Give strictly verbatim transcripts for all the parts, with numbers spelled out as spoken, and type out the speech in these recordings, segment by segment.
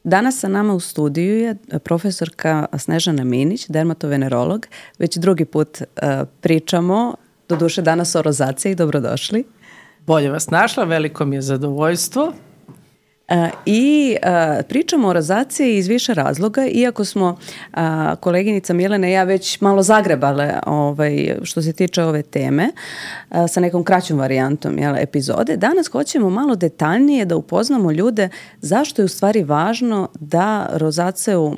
Danas sa nama u studiju je profesorka Snežana Minić, dermatovenerolog. Već drugi put uh, pričamo, doduše danas o rozaciji, dobrodošli. Bolje vas našla, veliko mi je zadovoljstvo. Uh, I uh, pričamo o rozaciji iz više razloga, iako smo uh, koleginica Milena i ja već malo zagrebale ovaj, što se tiče ove teme uh, sa nekom kraćom varijantom jel, epizode. Danas hoćemo malo detaljnije da upoznamo ljude zašto je u stvari važno da rozaciju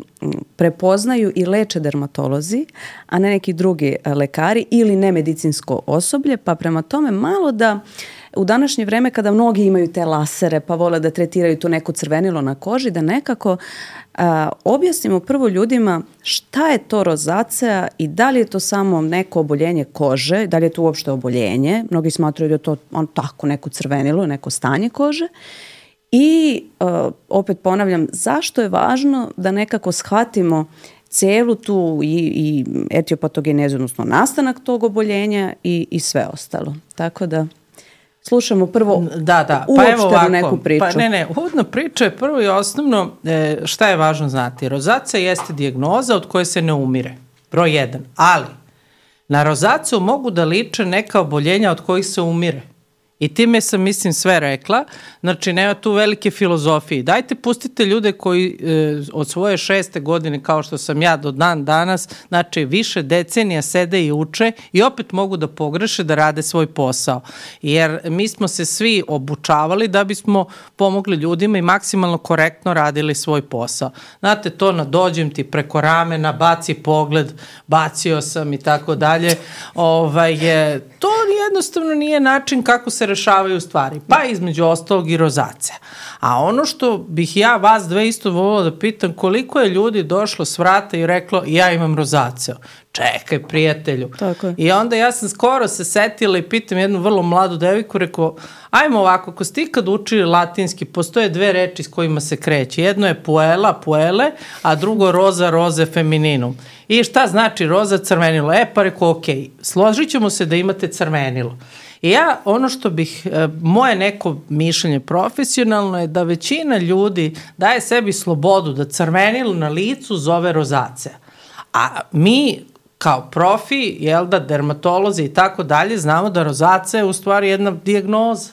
prepoznaju i leče dermatolozi, a ne neki drugi lekari ili nemedicinsko osoblje, pa prema tome malo da u današnje vreme kada mnogi imaju te lasere pa vole da tretiraju to neko crvenilo na koži, da nekako a, objasnimo prvo ljudima šta je to rozacija i da li je to samo neko oboljenje kože, da li je to uopšte oboljenje. Mnogi smatraju da je to on, tako neko crvenilo, neko stanje kože. I a, opet ponavljam, zašto je važno da nekako shvatimo celu tu i, i etiopatogenezu, odnosno nastanak tog oboljenja i, i sve ostalo. Tako da slušamo prvo da, da. Pa uopšte evo ovako, neku priču. Pa ne, ne, uvodna priča je prvo i osnovno e, šta je važno znati. Rozacija jeste dijagnoza od koje se ne umire. Broj jedan. Ali na rozaciju mogu da liče neka oboljenja od kojih se umire. I time sam, mislim, sve rekla. Znači, nema tu velike filozofije. Dajte, pustite ljude koji e, od svoje šeste godine, kao što sam ja do dan danas, znači više decenija sede i uče i opet mogu da pogreše da rade svoj posao. Jer mi smo se svi obučavali da bismo pomogli ljudima i maksimalno korektno radili svoj posao. Znate, to na dođem ti preko ramena, baci pogled, bacio sam i tako dalje. Ovaj, je, to jednostavno nije način kako se rešavaju stvari, pa između ostalog i rozacija. A ono što bih ja vas dve isto volila da pitam, koliko je ljudi došlo s vrata i reklo ja imam rozaciju. Čekaj, prijatelju. Tako je. I onda ja sam skoro se setila i pitam jednu vrlo mladu devojku, rekao, ajmo ovako, ako ste ikad učili latinski, postoje dve reči s kojima se kreće. Jedno je puela, puele, a drugo roza, roze, femininum. I šta znači roza, crvenilo? E, pa rekao, ok, složit ćemo se da imate crvenilo. I ja, ono što bih, moje neko mišljenje profesionalno je da većina ljudi daje sebi slobodu da crvenilo na licu zove rozacija. A mi kao profi, jel da, dermatolozi i tako dalje, znamo da rozacija je u stvari jedna dijagnoza.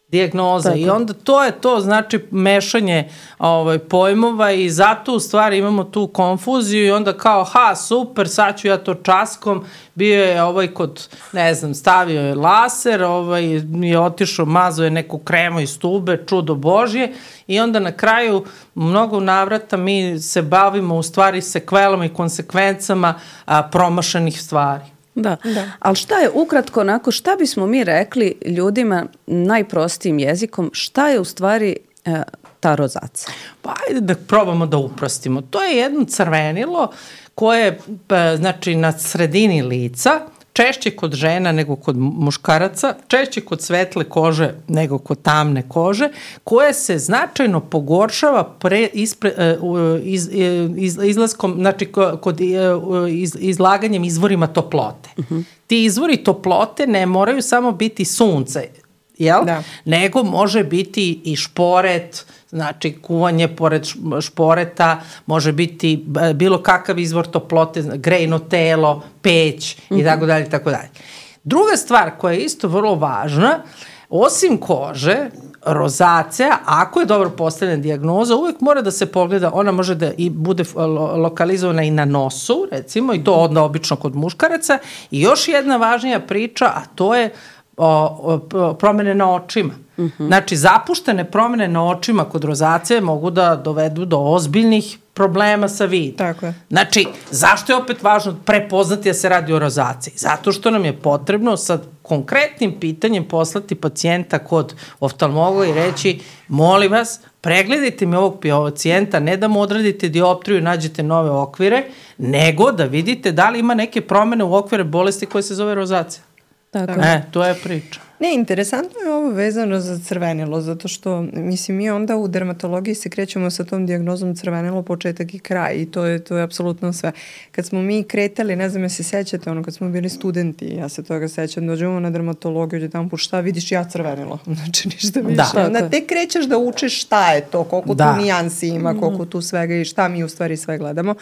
Dijagnoza. Tako. I onda to je to, znači mešanje ovaj, pojmova i zato u stvari imamo tu konfuziju i onda kao, ha, super, sad ću ja to časkom, bio je ovaj kod, ne znam, stavio je laser, ovaj, je otišao, mazao je neku kremu iz tube, čudo Božje i onda na kraju mnogo navrata mi se bavimo u stvari sekvelom i konsekvencama a, promašenih stvari. Da. da, ali šta je ukratko onako, šta bismo mi rekli ljudima najprostijim jezikom, šta je u stvari e, ta rozacija? Pa ajde da probamo da uprostimo. To je jedno crvenilo koje pa, znači na sredini lica, češće kod žena nego kod muškaraca, češće kod svetle kože nego kod tamne kože, koje se značajno pogoršava pre, ispre, iz, iz, izlaskom, znači kod iz, izlaganjem izvorima toplote. Uh-huh. Ti izvori toplote ne moraju samo biti sunce, jel? Da. Nego može biti i šporet, znači kuvanje pored šporeta, može biti bilo kakav izvor toplote, grejno telo, peć mm-hmm. i tako dalje, tako dalje. Druga stvar koja je isto vrlo važna, osim kože, rozacija, ako je dobro postavljena dijagnoza, uvijek mora da se pogleda, ona može da i bude lokalizovana i na nosu, recimo, i to onda obično kod muškaraca. I još jedna važnija priča, a to je O, o, promene na očima. Uh-huh. Znači, zapuštene promene na očima kod rozacije mogu da dovedu do ozbiljnih problema sa vidom. Tako je. Znači, zašto je opet važno prepoznati da se radi o rozaciji? Zato što nam je potrebno sa konkretnim pitanjem poslati pacijenta kod oftalmologa i reći, molim vas, pregledajte mi ovog pacijenta, ne da mu odradite dioptriju i nađete nove okvire, nego da vidite da li ima neke promene u okvire bolesti koje se zove rozacija. Tako. E, to je priča. Ne, interesantno je ovo vezano za crvenilo, zato što, mislim, mi onda u dermatologiji se krećemo sa tom dijagnozom crvenilo početak i kraj i to je, to je apsolutno sve. Kad smo mi kretali, ne znam ja se sećate, ono, kad smo bili studenti, ja se toga sećam, dođemo na dermatologiju, gdje tamo, šta vidiš, ja crvenilo, znači ništa više. Da. Onda te krećeš da učiš šta je to, koliko da. tu nijansi ima, koliko tu svega i šta mi u stvari sve gledamo.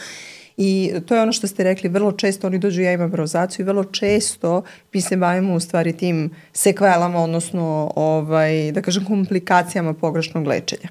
I to je ono što ste rekli, vrlo često oni dođu, ja imam rozaciju i vrlo često mi se bavimo u stvari tim sekvelama, odnosno ovaj, da kažem komplikacijama pogrešnog lečenja.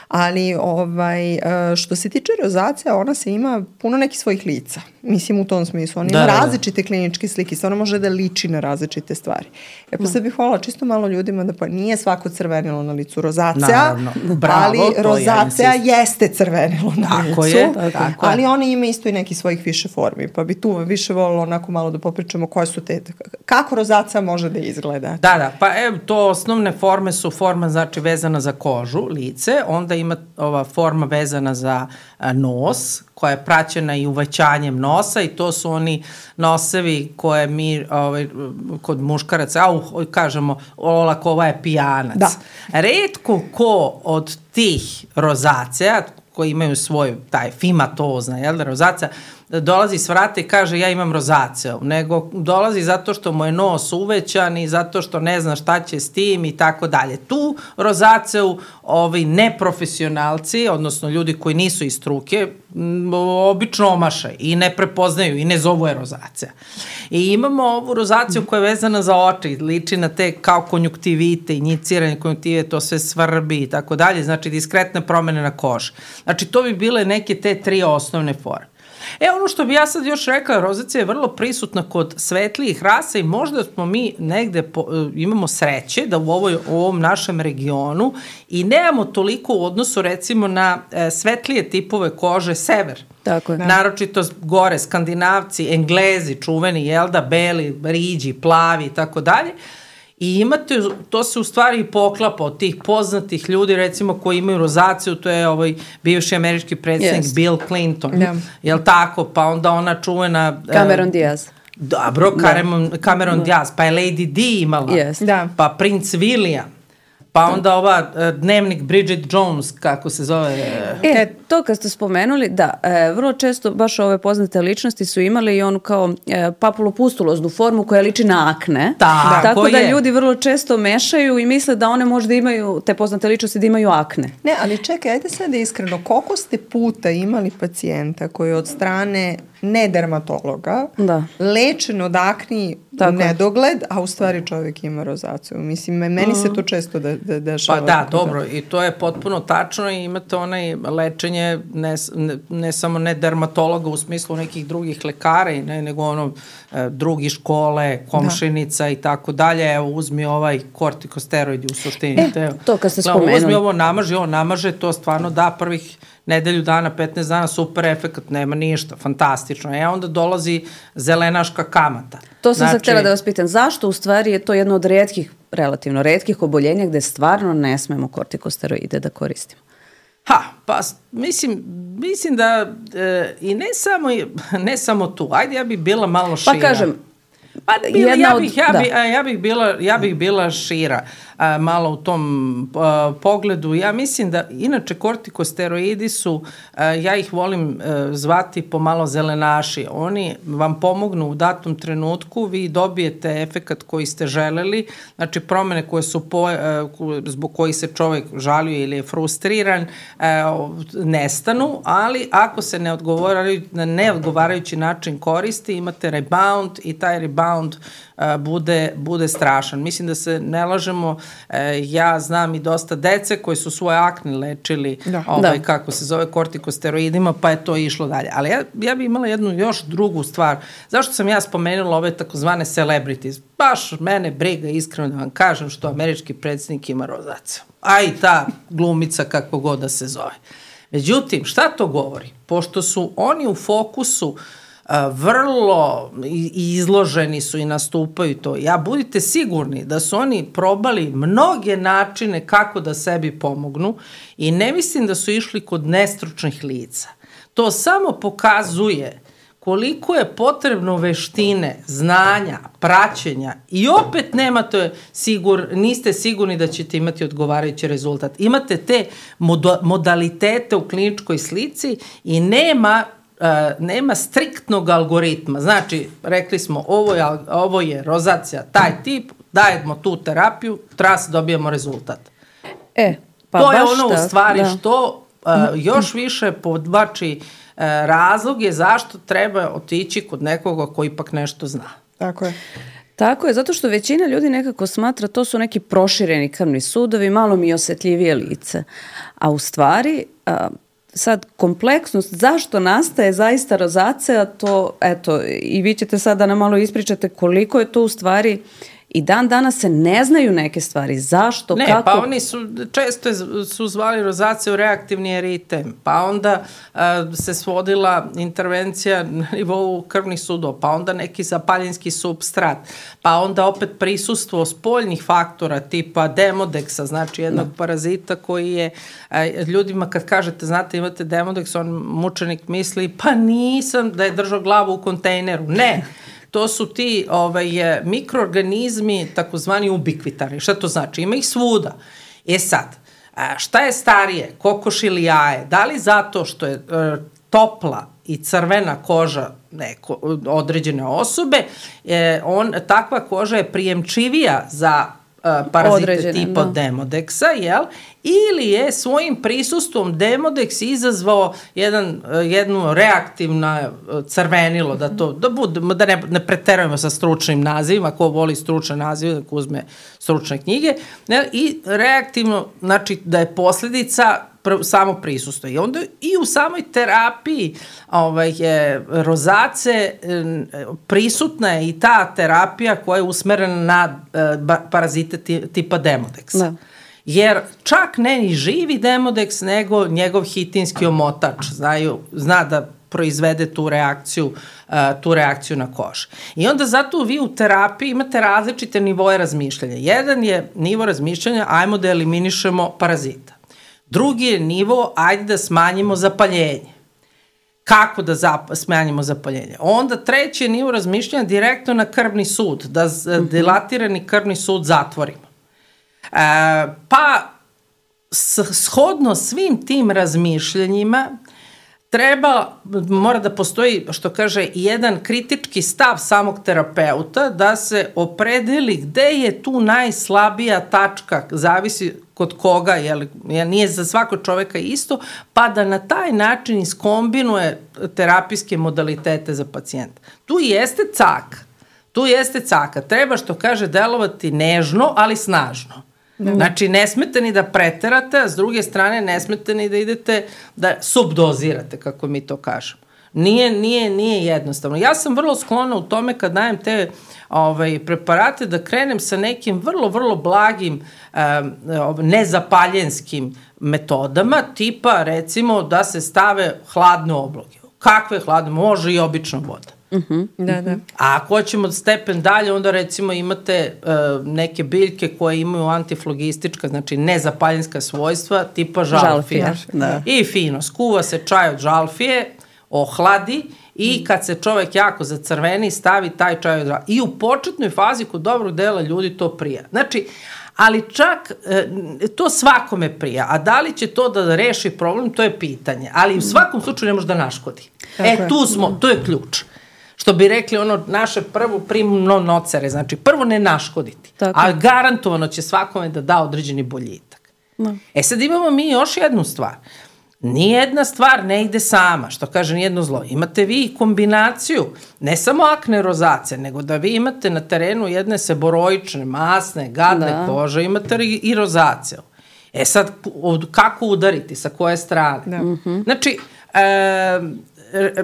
Ali ovaj, što se tiče rozacija, ona se ima puno nekih svojih lica. Mislim u tom smislu. Ona ima da, različite kliničke slike. Ona može da liči na različite stvari. E pa sad bih hvala čisto malo ljudima da pa nije svako crvenilo na licu rozacija. Naravno. Bravo, ali rozacija ja jeste crvenilo na tako licu. Je, tako ali je. ona ima isto i neki svojih više formi. Pa bi tu više volilo onako malo da popričamo koje su te, kako rozacija može da izgleda. Da, da. Pa evo, to osnovne forme su forma znači vezana za kožu, lice, onda ima ova forma vezana za a, nos, koja je praćena i uvećanjem nosa i to su oni nosevi koje mi ovaj, kod muškaraca, au, kažemo, olako, ova je pijanac. Da. Retko ko od tih rozacija, koji imaju svoj taj fimatozna, jel da, rozacija, dolazi s vrata i kaže ja imam rozaciju, nego dolazi zato što mu je nos uvećan i zato što ne zna šta će s tim i tako dalje. Tu rozaciju ovi neprofesionalci, odnosno ljudi koji nisu iz struke, obično omaše i ne prepoznaju i ne zovu je rozacija. I imamo ovu rozaciju koja je vezana za oči, liči na te kao konjuktivite, injiciranje konjuktive, to sve svrbi i tako dalje, znači diskretne promene na koži. Znači to bi bile neke te tri osnovne forme. E, ono što bi ja sad još rekla, rozacija je vrlo prisutna kod svetlijih rasa i možda smo mi negde po, imamo sreće da u, ovoj, u ovom našem regionu i nemamo toliko u odnosu recimo na e, svetlije tipove kože sever. Tako je. Naročito gore, Skandinavci, Englezi, čuveni, jel da, beli, riđi, plavi i tako dalje. I imate, to se u stvari poklapa od tih poznatih ljudi, recimo, koji imaju rozaciju, to je ovaj bivši američki predsjednik yes. Bill Clinton, yeah. jel tako, pa onda ona čuvena... Cameron uh, Diaz. Dobro, da. Cameron, Cameron da. Diaz, pa je Lady Di imala, yes. da. pa Prince William, pa onda ova uh, dnevnik Bridget Jones, kako se zove. Uh, e, to kad ste spomenuli, da, e, vrlo često baš ove poznate ličnosti su imali i onu kao e, papulopustuloznu formu koja liči na akne. Ta, tako da je. Ljudi vrlo često mešaju i misle da one možda imaju, te poznate ličnosti da imaju akne. Ne, ali čekaj, ajde sad iskreno, koliko ste puta imali pacijenta koji od strane ne dermatologa, da. lečen od akni u nedogled, a u stvari čovjek ima rozaciju. Mislim, meni uh-huh. se to često de, de, dešava. Pa da, dobro, i to je potpuno tačno i imate onaj lečenje ne, ne, ne samo ne dermatologa u smislu nekih drugih lekara, i ne, nego ono e, drugi škole, komšinica da. i tako dalje. Evo, uzmi ovaj kortikosteroidi u suštini. E, te, to kad ste spomenuli. Uzmi ovo, namaži, ovo namaže, to stvarno da prvih nedelju dana, petnaest dana, super efekt, nema ništa, fantastično. E onda dolazi zelenaška kamata. To sam znači, sad htjela da vas pitam, zašto u stvari je to jedno od retkih, relativno retkih oboljenja gde stvarno ne smemo kortikosteroide da koristimo? Ha, pa mislim, mislim da e, i ne samo, ne samo tu, ajde ja bih bila malo šira. Pa kažem, Pa bila, ja, od, bih, ja, bih, ja, bih bila, ja bih bila šira a, malo u tom a, pogledu. Ja mislim da, inače, kortikosteroidi su, a, ja ih volim a, zvati pomalo zelenaši. Oni vam pomognu u datom trenutku, vi dobijete efekat koji ste želeli, znači promene koje su po, a, zbog kojih se čovjek žalio ili je frustriran, a, nestanu, ali ako se ne odgovaraju, na neodgovarajući način koristi, imate rebound i taj rebound Uh, bude, bude strašan. Mislim da se ne lažemo, uh, ja znam i dosta dece koji su svoje akne lečili da. Ovaj, da. kako se zove, kortikosteroidima, pa je to išlo dalje. Ali ja, ja bih imala jednu još drugu stvar. Zašto sam ja spomenula ove takozvane celebrities? Baš mene briga, iskreno da vam kažem, što američki predsjednik ima rozaciju. A i ta glumica kako god da se zove. Međutim, šta to govori? Pošto su oni u fokusu Uh, vrlo izloženi su i nastupaju to. Ja budite sigurni da su oni probali mnoge načine kako da sebi pomognu i ne mislim da su išli kod nestručnih lica. To samo pokazuje koliko je potrebno veštine, znanja, praćenja i opet nemate sigur, niste sigurni da ćete imati odgovarajući rezultat. Imate te modo, modalitete u kliničkoj slici i nema Uh, nema striktnog algoritma. Znači, rekli smo, ovo je, ovo je rozacija, taj tip, dajemo tu terapiju, tras, dobijemo rezultat. E, pa to je baš ono tak, u stvari da. što uh, još više podvlači uh, razlog je zašto treba otići kod nekoga ko ipak nešto zna. Tako je. Tako je, zato što većina ljudi nekako smatra to su neki prošireni krvni sudovi, malo mi osjetljivije lice. A u stvari... Uh, sad kompleksnost, zašto nastaje zaista rozacija, to, eto, i vi ćete sad da nam malo ispričate koliko je to u stvari, i dan danas se ne znaju neke stvari, zašto, ne, kako. Ne, pa oni su, često su zvali rozaciju reaktivni eritem, pa onda uh, se svodila intervencija na nivou krvnih sudova, pa onda neki zapaljenski substrat, pa onda opet prisustvo spoljnih faktora tipa demodeksa, znači jednog no. parazita koji je, uh, ljudima kad kažete, znate, imate demodeks, on mučenik misli, pa nisam da je držao glavu u kontejneru. Ne, to su ti ovaj, mikroorganizmi takozvani ubikvitarni. Šta to znači? Ima ih svuda. E sad, šta je starije, kokoš ili jaje? Da li zato što je e, topla i crvena koža neko, određene osobe, e, on, takva koža je prijemčivija za e, parazite određene, tipa no. demodeksa, jel? Ili je svojim prisustvom demodeks izazvao jedan, jednu reaktivno crvenilo, da to, da, bude, da ne, ne preterujemo sa stručnim nazivima, ko voli stručne nazive, da uzme stručne knjige, ne, i reaktivno, znači da je posljedica pr, samo prisustvo. I onda i u samoj terapiji ovaj, je, rozace prisutna je i ta terapija koja je usmerena na uh, parazite tipa demodeksa. Da. Jer čak ne ni živi demodeks, nego njegov hitinski omotač znaju, zna da proizvede tu reakciju, uh, tu reakciju na koži. I onda zato vi u terapiji imate različite nivoje razmišljanja. Jedan je nivo razmišljanja, ajmo da eliminišemo parazita. Drugi je nivo, ajde da smanjimo zapaljenje. Kako da zap, smanjimo zapaljenje? Onda treći je nivo razmišljanja direktno na krvni sud, da z, mm-hmm. dilatirani krvni sud zatvorimo. E, pa shodno svim tim razmišljanjima treba, mora da postoji, što kaže, jedan kritički stav samog terapeuta da se opredeli gde je tu najslabija tačka, zavisi kod koga, jer nije za svakog čoveka isto, pa da na taj način iskombinuje terapijske modalitete za pacijenta. Tu jeste caka, tu jeste caka, treba, što kaže, delovati nežno, ali snažno. Da. Znači, ne smete ni da preterate, a s druge strane ne smete ni da idete da subdozirate, kako mi to kažemo. Nije, nije, nije jednostavno. Ja sam vrlo sklona u tome kad dajem te ovaj, preparate da krenem sa nekim vrlo, vrlo blagim um, nezapaljenskim metodama, tipa recimo da se stave hladne obloge. Kakve hladne? Može i obična voda. Uh-huh. Da, da. A ako hoćemo stepen dalje, onda recimo imate uh, neke biljke koje imaju antiflogistička, znači nezapaljenska svojstva, tipa žalfija. Žalfija, da. I fino, skuva se čaj od žalfije, ohladi i kad se čovek jako zacrveni, stavi taj čaj od žalfije. I u početnoj fazi kod dobrog dela ljudi to prija. Znači, ali čak e, to svakome prija, a da li će to da reši problem, to je pitanje. Ali u svakom slučaju ne može da naškodi. Tako e, tu smo, to je ključ. Što bi rekli ono naše prvo primno nocere, znači prvo ne naškoditi, tako. A garantovano će svakome da da određeni boljitak. No. E sad imamo mi još jednu stvar. Nijedna stvar ne ide sama, što kaže nijedno zlo. Imate vi kombinaciju, ne samo akne rozace, nego da vi imate na terenu jedne seboroične, masne, gadne da. kože, imate i rozaciju. E sad, kako udariti, sa koje strane? Da. Mm-hmm. Znači, e, e,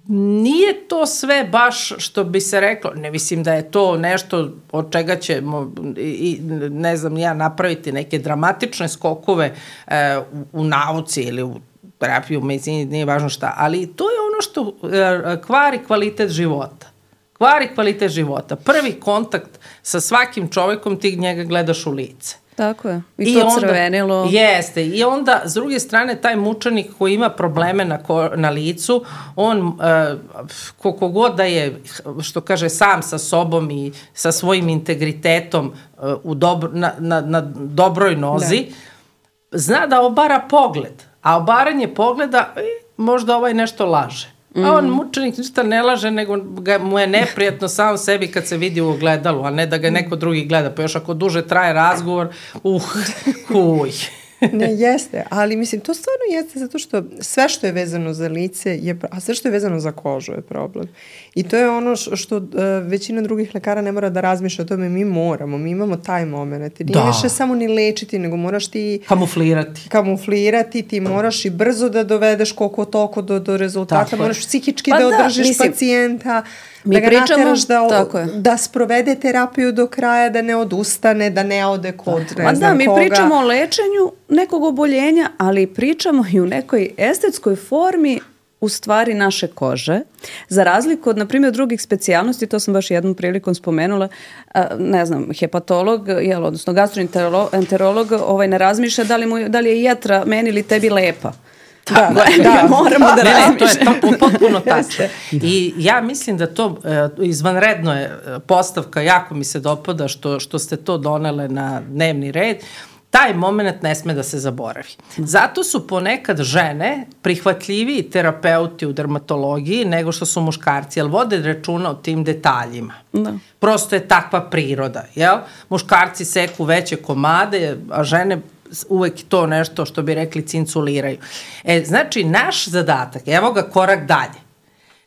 nije to sve baš što bi se reklo, ne mislim da je to nešto od čega ćemo i, ne znam ja napraviti neke dramatične skokove e, u, u nauci ili u terapiji, u medicini, nije važno šta, ali to je ono što e, kvari kvalitet života. Kvari kvalitet života. Prvi kontakt sa svakim čovekom ti njega gledaš u lice. Tako je. I, I to onda, crvenilo. Jeste. I onda, s druge strane, taj mučenik koji ima probleme na, ko, na licu, on, uh, koliko god da je, što kaže, sam sa sobom i sa svojim integritetom uh, u dobro, na, na, na dobroj nozi, da. Zna da obara pogled. A obaranje pogleda, možda ovaj nešto laže. A on mučenik ništa ne laže, nego ga, mu je neprijatno sam sebi kad se vidi u ogledalu, a ne da ga neko drugi gleda. Pa još ako duže traje razgovor, uh, huj. Ne, jeste, ali mislim, to stvarno jeste zato što sve što je vezano za lice, je, a sve što je vezano za kožu je problem. I to je ono što uh, većina drugih lekara ne mora da razmišlja o tome, mi moramo, mi imamo taj moment. Nije da. Više samo ni lečiti, nego moraš ti... Kamuflirati. Kamuflirati, ti moraš i brzo da dovedeš koliko toliko do, do rezultata, tako moraš psihički pa da, da održiš mislim, pacijenta, mi da ga pričamo, nateraš da, da sprovede terapiju do kraja, da ne odustane, da ne ode kod ne Ma znam da, koga. Mi pričamo o lečenju nekog oboljenja, ali pričamo i u nekoj estetskoj formi u stvari naše kože. Za razliku od, na primjer, drugih specijalnosti, to sam baš jednom prilikom spomenula, ne znam, hepatolog, jel, odnosno gastroenterolog ovaj, ne razmišlja da li, mu, da li je jetra meni ili tebi lepa. Da, da, da, moramo da razmišljamo. To je potpuno tačno. I ja mislim da to izvanredno je postavka, jako mi se dopada što, što ste to donele na dnevni red. Taj moment ne sme da se zaboravi. Zato su ponekad žene prihvatljiviji terapeuti u dermatologiji nego što su muškarci, jer vode računa o tim detaljima. Da. Prosto je takva priroda. Jel? Muškarci seku veće komade, a žene uvek to nešto što bi rekli cinculiraju. E, znači, naš zadatak, evo ga korak dalje,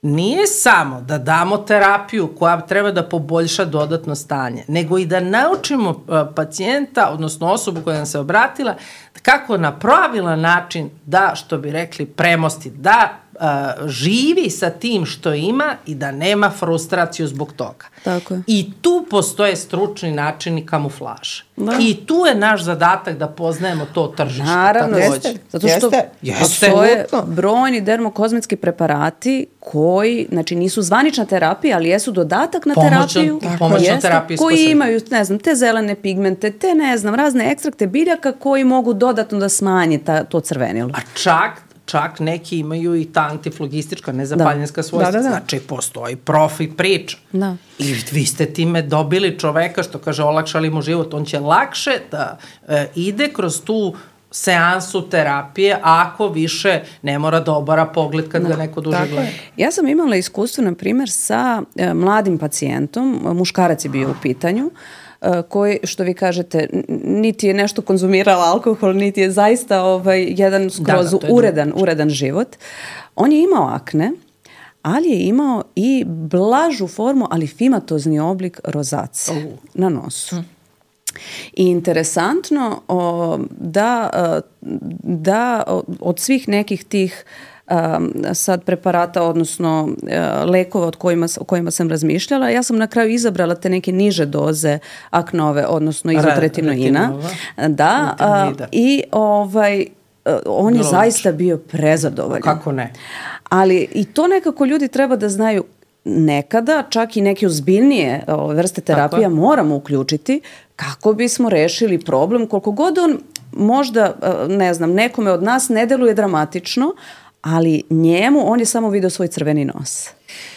nije samo da damo terapiju koja treba da poboljša dodatno stanje, nego i da naučimo uh, pacijenta, odnosno osobu koja nam se obratila, kako na pravilan način da, što bi rekli, premosti, da uh, živi sa tim što ima i da nema frustraciju zbog toga. Tako je. I tu postoje stručni načini kamuflaže. Da. I tu je naš zadatak da poznajemo to tržište. Naravno, jeste. Zato što jeste. postoje brojni dermokozmetski preparati koji, znači nisu zvanična terapija, ali jesu dodatak na Pomoćno, terapiju. Pomoćna terapija. Koji imaju, ne znam, te zelene pigmente, te ne znam, razne ekstrakte biljaka koji mogu dodatno da smanje ta, to crvenilo. A čak čak neki imaju i ta antiflogistička, nezapaljenska da. svojstva. Da, da, da. Znači, postoji profi priča. Da. I vi ste time dobili čoveka, što kaže, olakšali mu život. On će lakše da e, ide kroz tu seansu terapije, ako više ne mora da obara pogled kad da. ga neko duže gleda. Ja sam imala iskustvo, na primjer, sa e, mladim pacijentom, muškarac je bio u pitanju, koji, što vi kažete, niti je nešto konzumirala alkohol, niti je zaista ovaj, jedan skroz da, da, uredan, uredan život. On je imao akne, ali je imao i blažu formu, ali fimatozni oblik rozace uh. na nosu. I interesantno o, da, da od svih nekih tih Um, sad preparata, odnosno uh, lekova od kojima, o kojima sam razmišljala, ja sam na kraju izabrala te neke niže doze aknove, odnosno izotretinoina. Da, uh, i ovaj, uh, on je Logično. zaista bio prezadovoljan. Kako ne? Ali i to nekako ljudi treba da znaju, nekada čak i neke ozbiljnije o, vrste terapija moramo uključiti kako bismo rešili problem, koliko god on možda, ne znam, nekome od nas ne deluje dramatično, ali njemu, on je samo video svoj crveni nos.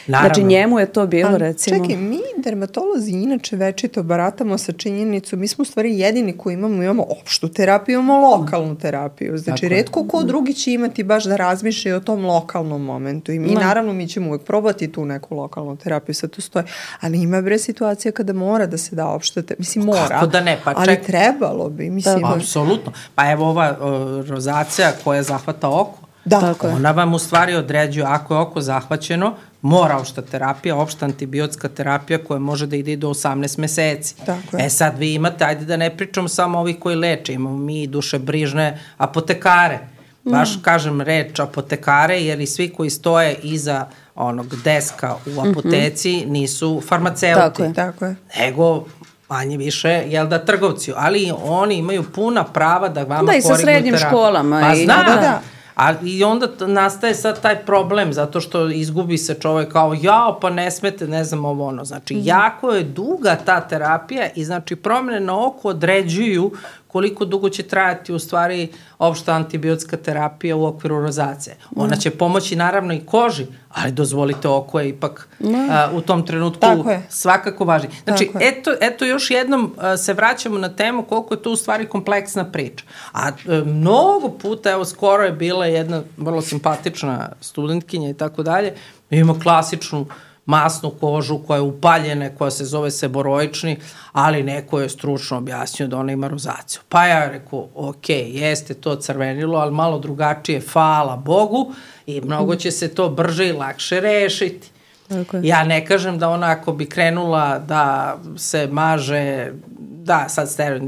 Naravno. Znači njemu je to bilo, ali, recimo... Čekaj, mi dermatolozi inače večito baratamo sa činjenicom, mi smo u stvari jedini koji imamo, imamo opštu terapiju, imamo lokalnu terapiju. Znači, tako retko ko drugi će imati baš da razmišlja o tom lokalnom momentu. I mi, no. naravno, mi ćemo uvek probati tu neku lokalnu terapiju, sad to stoji. Ali ima bre situacija kada mora da se da opšta terapija. Mislim, mora. Kako da ne? Pa ček... Ali trebalo bi. Mislim, da, apsolutno. Pa evo ova o, rozacija koja zahvata oko. Da, tako ona vam u stvari određuje, ako je oko zahvaćeno, mora opšta terapija, opšta antibiotska terapija koja može da ide do osamnaest meseci. Tako e sad vi imate, ajde da ne pričamo samo ovi koji leče, imamo mi dušebrižne apotekare. Baš mm. kažem reč apotekare, jer i svi koji stoje iza onog deska u apoteci mm-hmm. nisu farmaceuti. Tako je, tako je. Nego manje više, jel da, trgovci, ali oni imaju puna prava da vama korignu terapiju. Da, i sa srednjim školama. Pa i... znam, da, da. A i onda t- nastaje sad taj problem, zato što izgubi se čovek kao, jao, pa ne smete, ne znam ovo ono. Znači, mm. jako je duga ta terapija i znači promene na oko određuju koliko dugo će trajati u stvari opšta antibiotska terapija u okviru rozacije. Ona će pomoći naravno i koži, ali dozvolite, oko je ipak uh, u tom trenutku svakako važno. Znači, eto, eto još jednom uh, se vraćamo na temu koliko je to u stvari kompleksna priča. A uh, mnogo puta, evo skoro je bila jedna vrlo simpatična studentkinja i tako dalje, ima klasičnu masnu kožu koja je upaljena, koja se zove seboroični, ali neko je stručno objasnio da ona ima rozaciju. Pa ja rekao, ok, jeste to crvenilo, ali malo drugačije, hvala Bogu, i mnogo će se to brže i lakše rešiti. Okay. Ja ne kažem da ona ako bi krenula da se maže, da, sad ste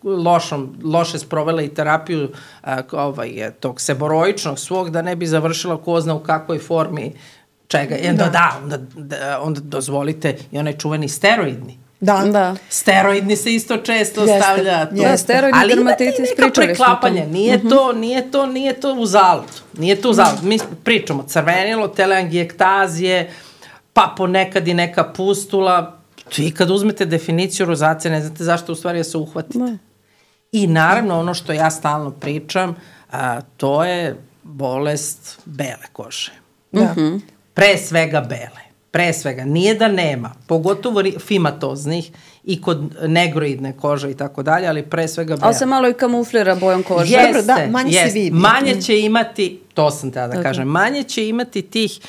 lošom, loše sprovela i terapiju a, ovaj, tog seboroičnog svog, da ne bi završila ko zna u kakvoj formi čega. I onda da, da onda, da, onda dozvolite i onaj čuveni steroidni. Da. da. Steroidni se isto često jeste, stavlja. To. Da, steroidni dermatitis, pričali smo to. Nije uh-huh. to, nije to, nije to uzalud. Nije to uzalud. Mi pričamo crvenilo, teleangiektazije, pa ponekad i neka pustula. I kad uzmete definiciju rozacije, ne znate zašto u stvari se uhvatite. Ne. I naravno ono što ja stalno pričam, a, to je bolest bele kože. Da. Uh-huh. Pre svega bele. Pre svega. Nije da nema. Pogotovo fimatoznih i kod negroidne kože i tako dalje, ali pre svega bele. Ali se malo i kamuflira bojom kože. Jeste, da, manje jeste. se vidi. Manje će imati, to sam tada da okay. kažem, manje će imati tih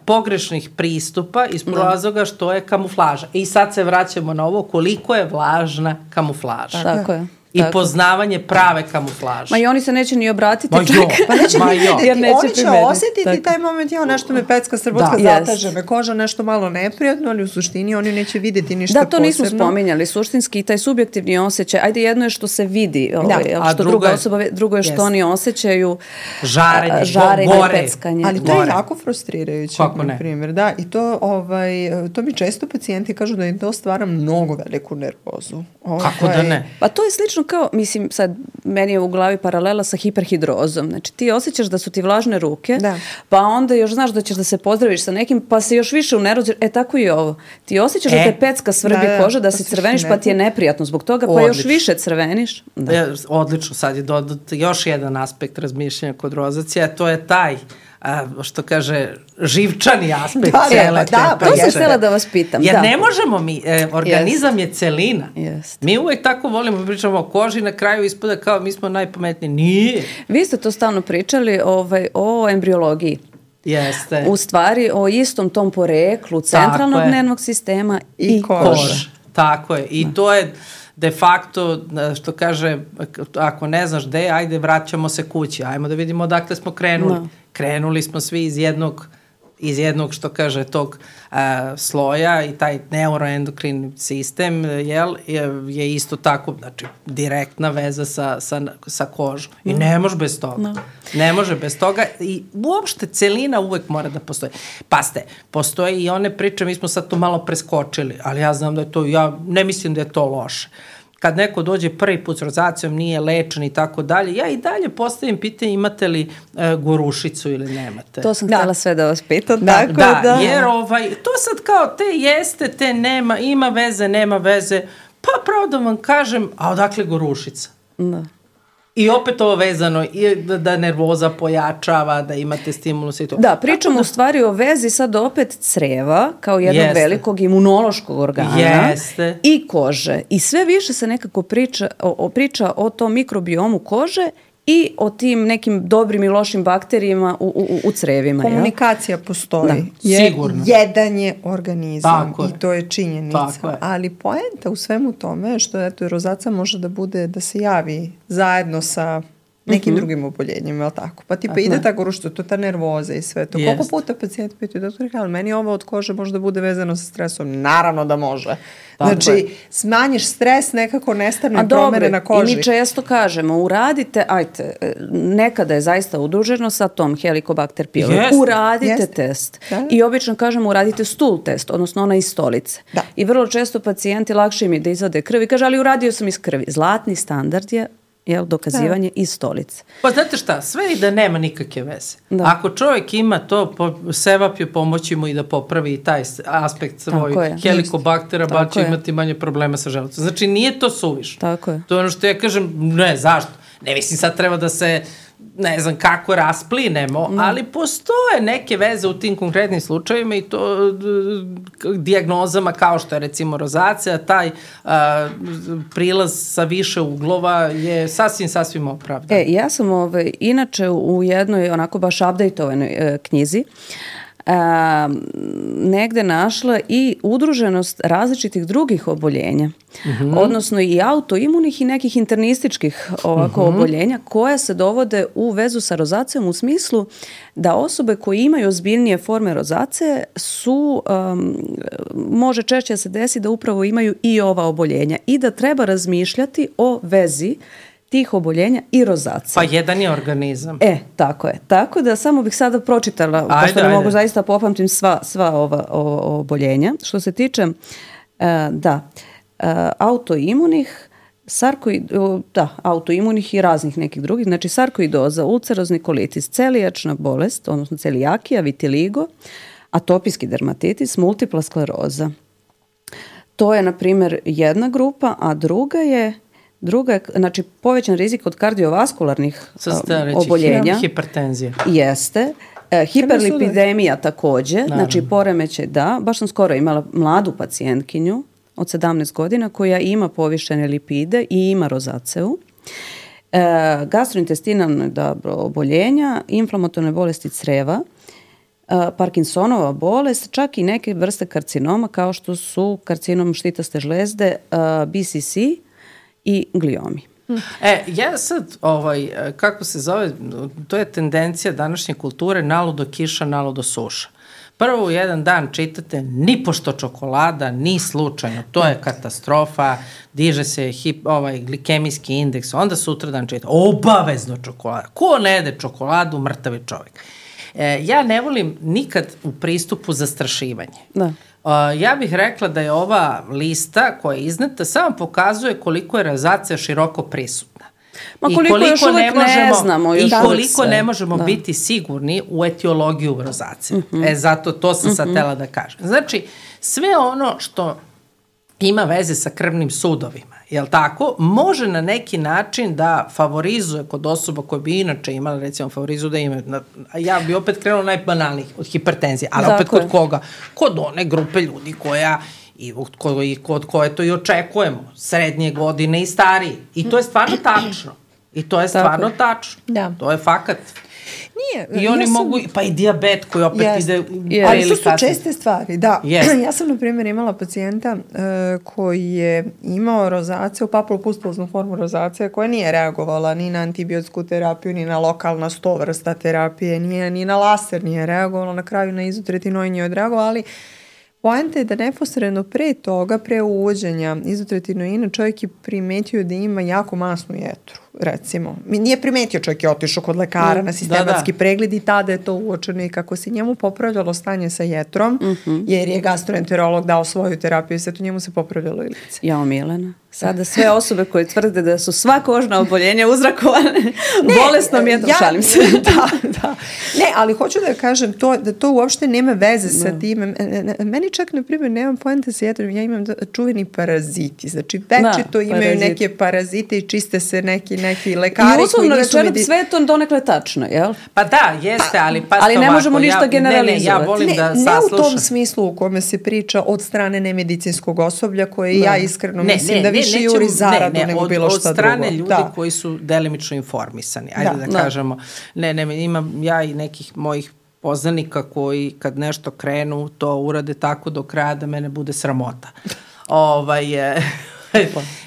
pogrešnih pristupa iz razloga što je kamuflaža. I sad se vraćamo na ovo koliko je važna kamuflaža. Tako je. I tako. Poznavanje prave kamuflaže. Ma i oni se neće ni obratiti. Ma jo, pa neće ma ni jo. Jer neće oni će primetiti. Osetiti tako. Taj moment, ja nešto me pecka, srbotka, da. Zataže me koža, nešto malo neprijatno, ali u suštini oni neće vidjeti ništa posebno. Da, to nismo spominjali. Suštinski taj subjektivni osjećaj, ajde jedno je što se vidi, ovaj, da. Što druga je, osoba, drugo je što yes. oni osjećaju žarenje, žarenje gore. Peckanje. Ali to je jako frustrirajuće, na primjer. Da, i to, ovaj, to mi često pacijenti kažu da im to stvara mnogo veliku nervozu. Ovaj, kako da ne? Pa to je slično kao, mislim, sad meni je u glavi paralela sa hiperhidrozom. Znači ti osjećaš da su ti vlažne ruke, da. Pa onda još znaš da ćeš da se pozdraviš sa nekim, pa se još više unervoziš. E tako i ovo. Ti osjećaš e, da te pecka svrbi da, koža, da si crveniš, pa ti je neprijatno zbog toga, pa odlično. Još više crveniš. Da. Ja, odlično, sad je dodat još jedan aspekt razmišljanja kod rozacije, a to je taj a, što kaže, živčani aspekt da, cijele da, te to sam htjela da vas pitam. Jer da. ne možemo mi, e, organizam yes. je celina. Yes. Mi uvek tako volimo, pričamo o koži, na kraju ispada kao mi smo najpametniji. Nije. Vi ste to stalno pričali ovaj, o embriologiji. Jeste. U stvari o istom tom poreklu centralnog nervnog sistema i, i kože. kože. Tako je. I da. To je de facto, što kaže, ako ne znaš gde, ajde vraćamo se kući, ajmo da vidimo odakle smo krenuli. No. Krenuli smo svi iz jednog, iz jednog što kaže, tog uh, sloja i taj neuroendokrini sistem jel, je, je isto tako, znači, direktna veza sa, sa, sa kožom. No. I ne može bez toga. No. Ne može bez toga i uopšte celina uvek mora da postoji. Paste, postoje i one priče, mi smo sad to malo preskočili, ali ja znam da je to, ja ne mislim da je to loše. Kad neko dođe prvi put s rozacijom, nije lečen i tako dalje, ja i dalje postavim pitanje imate li e, gorušicu ili nemate. To sam da. htjela sve da vas pitam. Da, tako da, da, jer ovaj, to sad kao te jeste, te nema, ima veze, nema veze, pa pravo da vam kažem, a odakle gorušica? Da. I opet ovo vezano, i da, da nervoza pojačava, da imate stimulus i to. Da, pričamo da, u stvari o vezi sad opet creva, kao jednog jeste. Velikog imunološkog organa jeste. I kože. I sve više se nekako priča o, o, priča o tom mikrobiomu kože i o tim nekim dobrim i lošim bakterijama u, u, u crevima. Komunikacija ja? postoji. Da, je, sigurno. Jedan je organizam tako i je. to je činjenica. Je. Ali poenta u svemu tome što eto, rozacija može da bude da se javi zajedno sa nekim mm-hmm. drugim oboljenjima, je li tako? Pa tipa ide tako što to ta nervoza i sve to. Jest. Koliko puta pacijent pitaju, doktor, ali meni ovo od kože možda bude vezano sa stresom? Naravno da može. Tako znači, je. Smanjiš stres, nekako nestane promene na koži. I mi često kažemo, uradite, ajte, nekada je zaista udruženo sa tom Helicobacter pylori. Yes. Uradite yes. test. Da. I obično kažemo, uradite stool test, odnosno ona iz stolice. Da. I vrlo često pacijenti lakše im je da izvade krv i kaže, ali uradio sam iz krvi. Zlatni standard je jel, dokazivanje da. Iz stolice. Pa znate šta, sve i da nema nikakve veze. Da. Ako čovjek ima to, po, sevapju pomoći mu i da popravi i taj aspekt svoj helikobaktera, ba će imati manje problema sa želucom. Znači nije to suvišno. Tako je. To je ono što ja kažem, ne, zašto? Ne mislim sad treba da se, ne znam kako rasplinemo, mm. ali postoje neke veze u tim konkretnim slučajevima i to d, d, dijagnozama kao što je recimo rozacija, taj a, prilaz sa više uglova je sasvim, sasvim opravdan. E, ja sam ovaj, inače u jednoj onako baš updateovanoj e, knjizi a, negde našla i udruženost različitih drugih oboljenja, mm-hmm. odnosno i autoimunih i nekih internističkih ovako mm-hmm. oboljenja koje se dovode u vezu sa rozacijom u smislu da osobe koje imaju ozbiljnije forme rozacije su, um, može češće se desi da upravo imaju i ova oboljenja i da treba razmišljati o vezi tih oboljenja i rozacije. Pa jedan je organizam. E, tako je. Tako da samo bih sada pročitala, ajde, pošto ne ajde. mogu zaista popamtim sva, sva ova o, oboljenja. Što se tiče, uh, da, uh, autoimunih, sarkoid, uh, da, autoimunih i raznih nekih drugih, znači sarkoidoza, ulcerozni kolitis, celijačna bolest, odnosno celijakija, vitiligo, atopijski dermatitis, multipla skleroza. To je, na primjer, jedna grupa, a druga je Druga je, znači, povećan rizik od kardiovaskularnih uh, oboljenja. Hipertenzija. Jeste. E, hiperlipidemija takođe, naravno. Znači poremećaj, da. Baš sam skoro imala mladu pacijentkinju od sedamnaest godina koja ima povišene lipide i ima rozaceu. E, gastrointestinalne da, oboljenja, inflamatorne bolesti creva, e, Parkinsonova bolest, čak i neke vrste karcinoma kao što su karcinom štitaste žlezde, e, B C C, i gliomi. E, ja sad, ovaj, kako se zove, to je tendencija današnje kulture, naludo kiša, naludo suša. Prvo u jedan dan čitate ni pošto čokolada, ni slučajno, to je katastrofa, diže se hip, ovaj, glikemijski indeks, onda sutra dan čitate obavezno čokolada. Ko ne jede čokoladu, mrtav je čovjek. E, ja ne volim nikad u pristupu zastrašivanje. Da. Uh, ja bih rekla da je ova lista koja je izneta samo pokazuje koliko je rozacija široko prisutna. Ma koliko, I koliko još uvek ne, možemo, ne znamo. I koliko ne možemo da. biti sigurni u etiologiju rozacije. Mm-hmm. E, zato to sam mm-hmm. sad tela da kažem. Znači, sve ono što ima veze sa krvnim sudovima, jel tako, može na neki način da favorizuje kod osoba koje bi inače imala, recimo favorizuju da ima, ja bi opet krenula najbanalnijih od hipertenzije, ali Zakon. opet kod koga? Kod one grupe ljudi koja i kod, kod koje to i očekujemo, srednje godine i stariji. I to je stvarno tačno. I to je stvarno Tako. tačno. Da. To je fakat. Nije. I oni ja sam, mogu, pa i dijabet koji opet yes, ide... Yes. Ali to su česte stvari, da. Yes. Ja sam, na primjer, imala pacijenta uh, koji je imao rozaciju, papulopustuloznu formu rozacije, koja nije reagovala ni na antibiotsku terapiju, ni na lokalna sto vrsta terapije, nije, ni na laser nije reagovala, na kraju na izotretinoin je odreagovala, ali poenta je da neposredno pre toga, pre uvođenja izotretinoina, čovjek je primetio da ima jako masnu jetru, recimo. Nije primetio, čovjek je otišao kod lekara mm, na sistematski da, da. pregled i tada je to uočeno i kako se njemu popravljalo stanje sa jetrom, mm-hmm. jer je gastroenterolog dao svoju terapiju i sve to njemu se popravljalo i lice. Jao, Milena. Sada sve osobe koje tvrde da su sva kožna oboljenja uzrakovane bolesnom jetrom, ja, šalim se. Da, da. Ne, ali hoću da kažem to, da to uopšte nema veze sa no. tim. Meni čak, na primjer, nemam poente sa jetrom, ja imam čuveni paraziti. Znači, večito da, imaju parazit. neke parazite i čiste se neki, neki lekari. I uslovno rečeno, medi... sve je to donekle tačno, jel? Pa da, jeste, ali pa ali ne možemo ništa ja, generalizovati. Ne, ne, ja volim ne, da ne saslušam. Ne u tom smislu u kome se priča od strane nemedicinskog osoblja, koje ne. ja iskreno ne, mislim ne, da više ne, juri zaradu ne, ne, nego bilo šta drugo. Od strane ljudi da. koji su delimično informisani. Ajde da, da, da kažemo. Ne, ne, imam ja i nekih mojih poznanika koji kad nešto krenu, to urade tako do kraja da mene bude sramota. ovaj,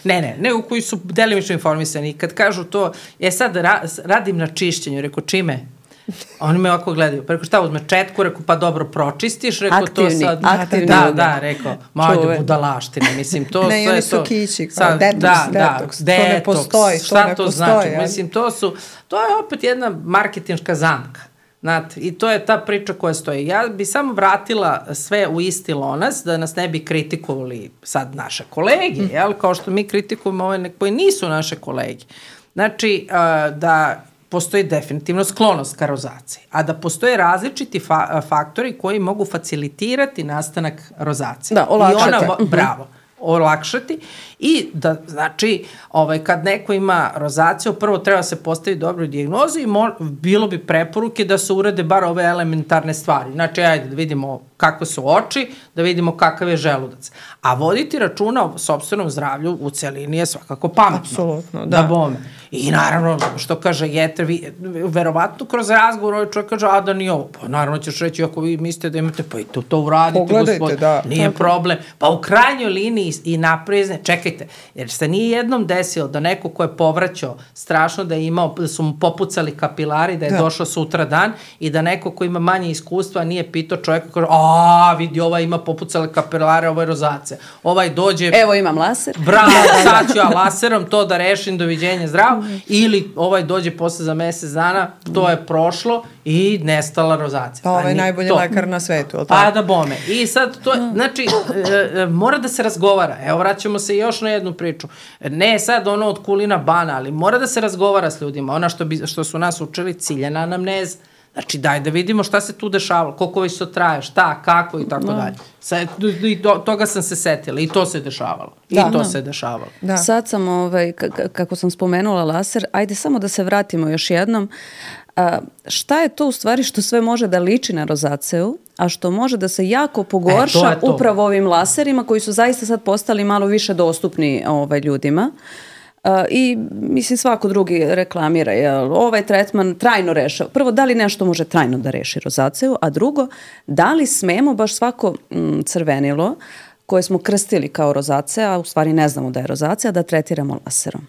ne, ne, nego koji su delimično informisani. Kad kažu to, je sad ra, radim na čišćenju, reko čime? Oni me ovako gledaju, pa reko šta uzme četku, reko pa dobro pročistiš, reko aktivni, to sad, aktivni, da, da, reko, majde budalaštine, mislim, to ne, sve oni su to, kići, kao sad, detoks, da, detoks, da, to ne postoji, šta to ne to postoji, znači, ali... mislim, to su, to je opet jedna marketinška zamka, znate, i to je ta priča koja stoji. Ja bi samo vratila sve u isti lonac, da nas ne bi kritikovali sad naše kolege, mm. jel, kao što mi kritikujemo ove koji nisu naše kolege. znači uh, da postoji definitivno sklonost ka rozaciji, a da postoje različiti fa faktori koji mogu facilitirati nastanak rozacije. Da, olakšati. I ona, bravo, olakšati i da, znači, ovaj, kad neko ima rozaciju, prvo treba se postaviti dobru dijagnozu i mo, bilo bi preporuke da se urade bar ove elementarne stvari. Znači, ajde da vidimo kakve su oči, da vidimo kakav je želudac. A voditi računa o sopstvenom zdravlju u celini je svakako pametno. Apsolutno, da. Da bome. I naravno, što kaže Jeter, vi, verovatno kroz razgovor ovaj čovjek kaže, a da nije ovo. Pa naravno ćeš reći, ako vi mislite da imate, pa i to, to uradite, pogledajte, gospod, da. nije tako problem. Pa u krajnjoj liniji i naprizne, čekajte, jer se nije jednom desilo da neko ko je povraćao strašno da je imao, da su mu popucali kapilari, da je da. došao sutra dan i da neko ko ima manje iskustva nije pitao čovjeka, kaže, a vidi, ovaj ima popucale kapilare, ovo je rozacija. Ovaj dođe... Evo imam laser. Bravo, sad ću ja laserom to da rešim, doviđenja, zdravo. Ili ovaj dođe posle za mesec dana, to je prošlo i nestala rozacija. Pa ovaj je najbolji to. lekar na svetu, ali tako? Pa da bome. I sad to, znači, e, e, mora da se razgovara. Evo, vraćamo se još na jednu priču. Ne sad ono od kulina bana, ali mora da se razgovara s ljudima. Ona što, bi, što su nas učili, ciljena anamneza. Znači, daj da vidimo šta se tu dešavalo, koliko već to traje, šta, kako i tako dalje. Sad, i to, toga sam se setila i to se dešavalo. Da, I to da. se dešavalo. Da. Sad sam, ovaj, kako sam spomenula laser, ajde samo da se vratimo još jednom. A, šta je to u stvari što sve može da liči na rozaceu, a što može da se jako pogorša e, to to. upravo ovim laserima koji su zaista sad postali malo više dostupni ovaj, ljudima. Uh, i mislim svako drugi reklamira, jel, ovaj tretman trajno rešava. Prvo, da li nešto može trajno da reši rozaciju, a drugo, da li smemo baš svako mm, crvenilo koje smo krstili kao rozacija, a u stvari ne znamo da je rozacija, da tretiramo laserom.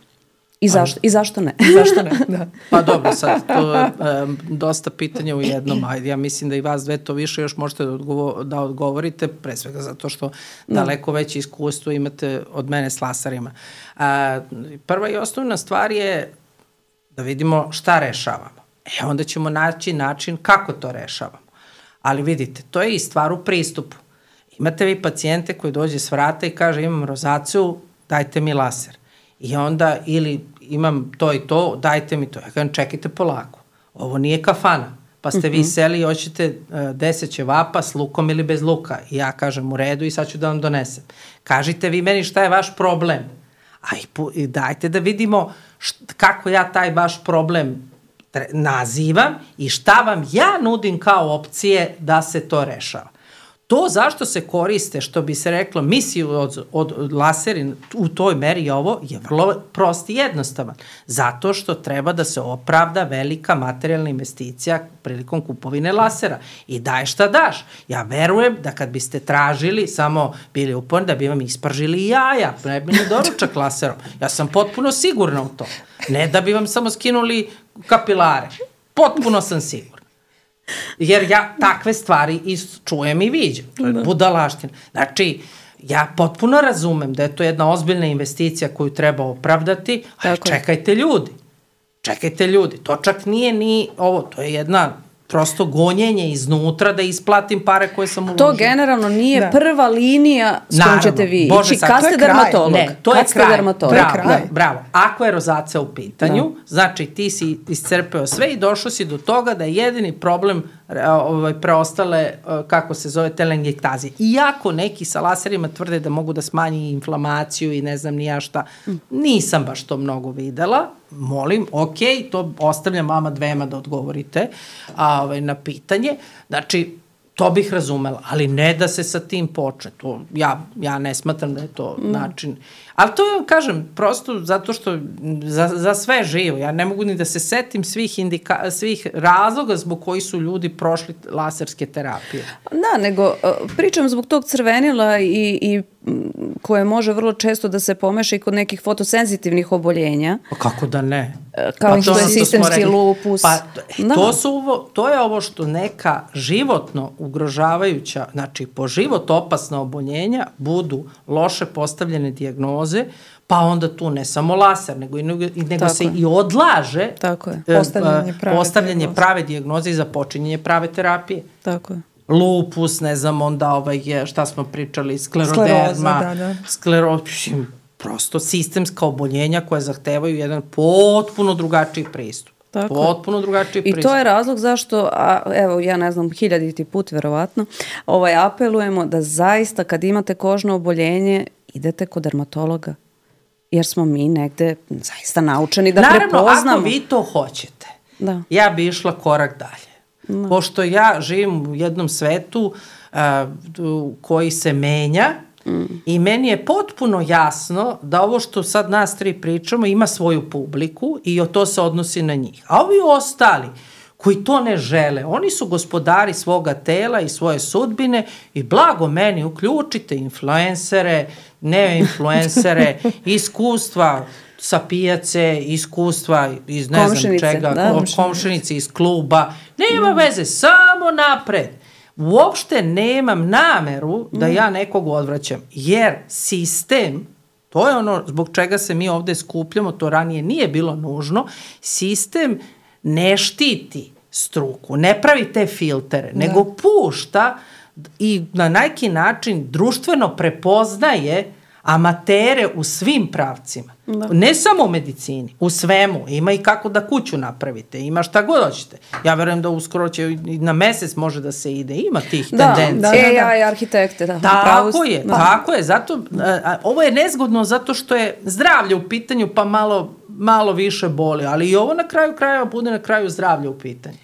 I zašto, i zašto ne? Zašto ne, da. Pa dobro, sad, to je um, dosta pitanja u jednom, ajde, ja mislim da i vas dve to više još možete da, odgovo, da odgovorite, pre svega zato što no. daleko veće iskustvo imate od mene s laserima. A, prva i osnovna stvar je da vidimo šta rešavamo. E, onda ćemo naći način kako to rešavamo. Ali vidite, to je i stvar u pristupu. Imate vi pacijente koji dođe s vrata i kaže imam rozaciju, dajte mi laser. I onda ili imam to i to, dajte mi to. Ja kažem, čekajte polako. Ovo nije kafana. Pa ste vi seli i hoćete uh, deset ćevapa s lukom ili bez luka. I ja kažem u redu i sad ću da vam donesem. Kažite vi meni šta je vaš problem. A i, i dajte da vidimo št, kako ja taj vaš problem nazivam i šta vam ja nudim kao opcije da se to rešava. To zašto se koriste, što bi se reklo, misiju od, od laseri u toj meri ovo je vrlo prost i jednostavan. Zato što treba da se opravda velika materijalna investicija prilikom kupovine lasera. I daj šta daš. Ja verujem da kad biste tražili, samo bili uporni, da bi vam ispržili jaja, ne bi ne doručak laserom. Ja sam potpuno sigurna u to. Ne da bi vam samo skinuli kapilare. Potpuno sam sigurna. Jer ja takve stvari i čujem i viđem. To je budalaština. Znači, ja potpuno razumem da je to jedna ozbiljna investicija koju treba opravdati, ali čekajte ljudi. Čekajte ljudi. To čak nije ni ovo, to je jedna prosto gonjenje iznutra da isplatim pare koje sam uložila. To generalno nije da. prva linija s kojom ćete vi ići. Kad ste dermatolog. Ne, to je kraj. Dermatolog. Bravo, kraj. bravo. Ako je rozacija u pitanju, da. znači ti si iscrpeo sve i došao si do toga da je jedini problem ovaj, preostale, kako se zove, telangiektaze. Iako neki sa laserima tvrde da mogu da smanji inflamaciju i ne znam ni ja šta, nisam baš to mnogo videla. Molim, ok, to ostavljam vama dvema da odgovorite a, ovaj, na pitanje. Znači, to bih razumela, ali ne da se sa tim počne. To, ja, ja ne smatram da je to mm. način. Ali to ja kažem, prosto zato što za, za sve živo. Ja ne mogu ni da se setim svih, indika, svih razloga zbog koji su ljudi prošli laserske terapije. Da, nego pričam zbog tog crvenila i, i koje može vrlo često da se pomeša i kod nekih fotosenzitivnih oboljenja. Pa kako da ne? Kao pa što je sistemski lupus. Pa to, su ovo, to je ovo što neka životno ugrožavajuća, znači po život opasna oboljenja budu loše postavljene dijagnoze, pa onda tu ne samo laser, nego, i, nego se je. i odlaže Tako je. Postavljanje, prave, postavljanje prave dijagnoze i započinjenje prave terapije. Tako je. Lupus, ne znam, onda ovaj, šta smo pričali, skleroderma, da, da. sklerošim, prosto sistemska oboljenja koja zahtevaju jedan potpuno drugačiji pristup. Tako. Potpuno drugačiji pristup. I to je razlog zašto, a, evo ja ne znam, hiljaditi put verovatno, ovaj, apelujemo da zaista kad imate kožno oboljenje idete kod dermatologa. Jer smo mi negde zaista naučeni da Naravno, prepoznamo. Naravno, ako vi to hoćete, da. ja bi išla korak dalje. Da. Pošto ja živim u jednom svetu uh, koji se menja, mm. i meni je potpuno jasno da ovo što sad nas tri pričamo ima svoju publiku i to se odnosi na njih. A ovi ostali koji to ne žele, oni su gospodari svoga tela i svoje sudbine i blago meni uključite influencere, ne influencere, iskustva sa pijace, iskustva iz ne znam čega, da, komšinice iz kluba, nema veze, samo napred. Uopšte nemam nameru da ja nekog odvraćam, jer sistem, to je ono zbog čega se mi ovde skupljamo, to ranije nije bilo nužno, sistem ne štiti struku, ne pravi te filtere, da. nego pušta i na neki način društveno prepoznaje amatere u svim pravcima. Da. Ne samo u medicini, u svemu. Ima i kako da kuću napravite, ima šta god hoćete. Ja verujem da uskoro će i na mesec može da se ide, ima tih da, tendencija. Da, da, da. A I arhitekte, da. Tako je, da. tako je. Zato, a, ovo je nezgodno zato što je zdravlje u pitanju pa malo, malo više boli, ali i ovo na kraju krajeva bude na kraju zdravlje u pitanju.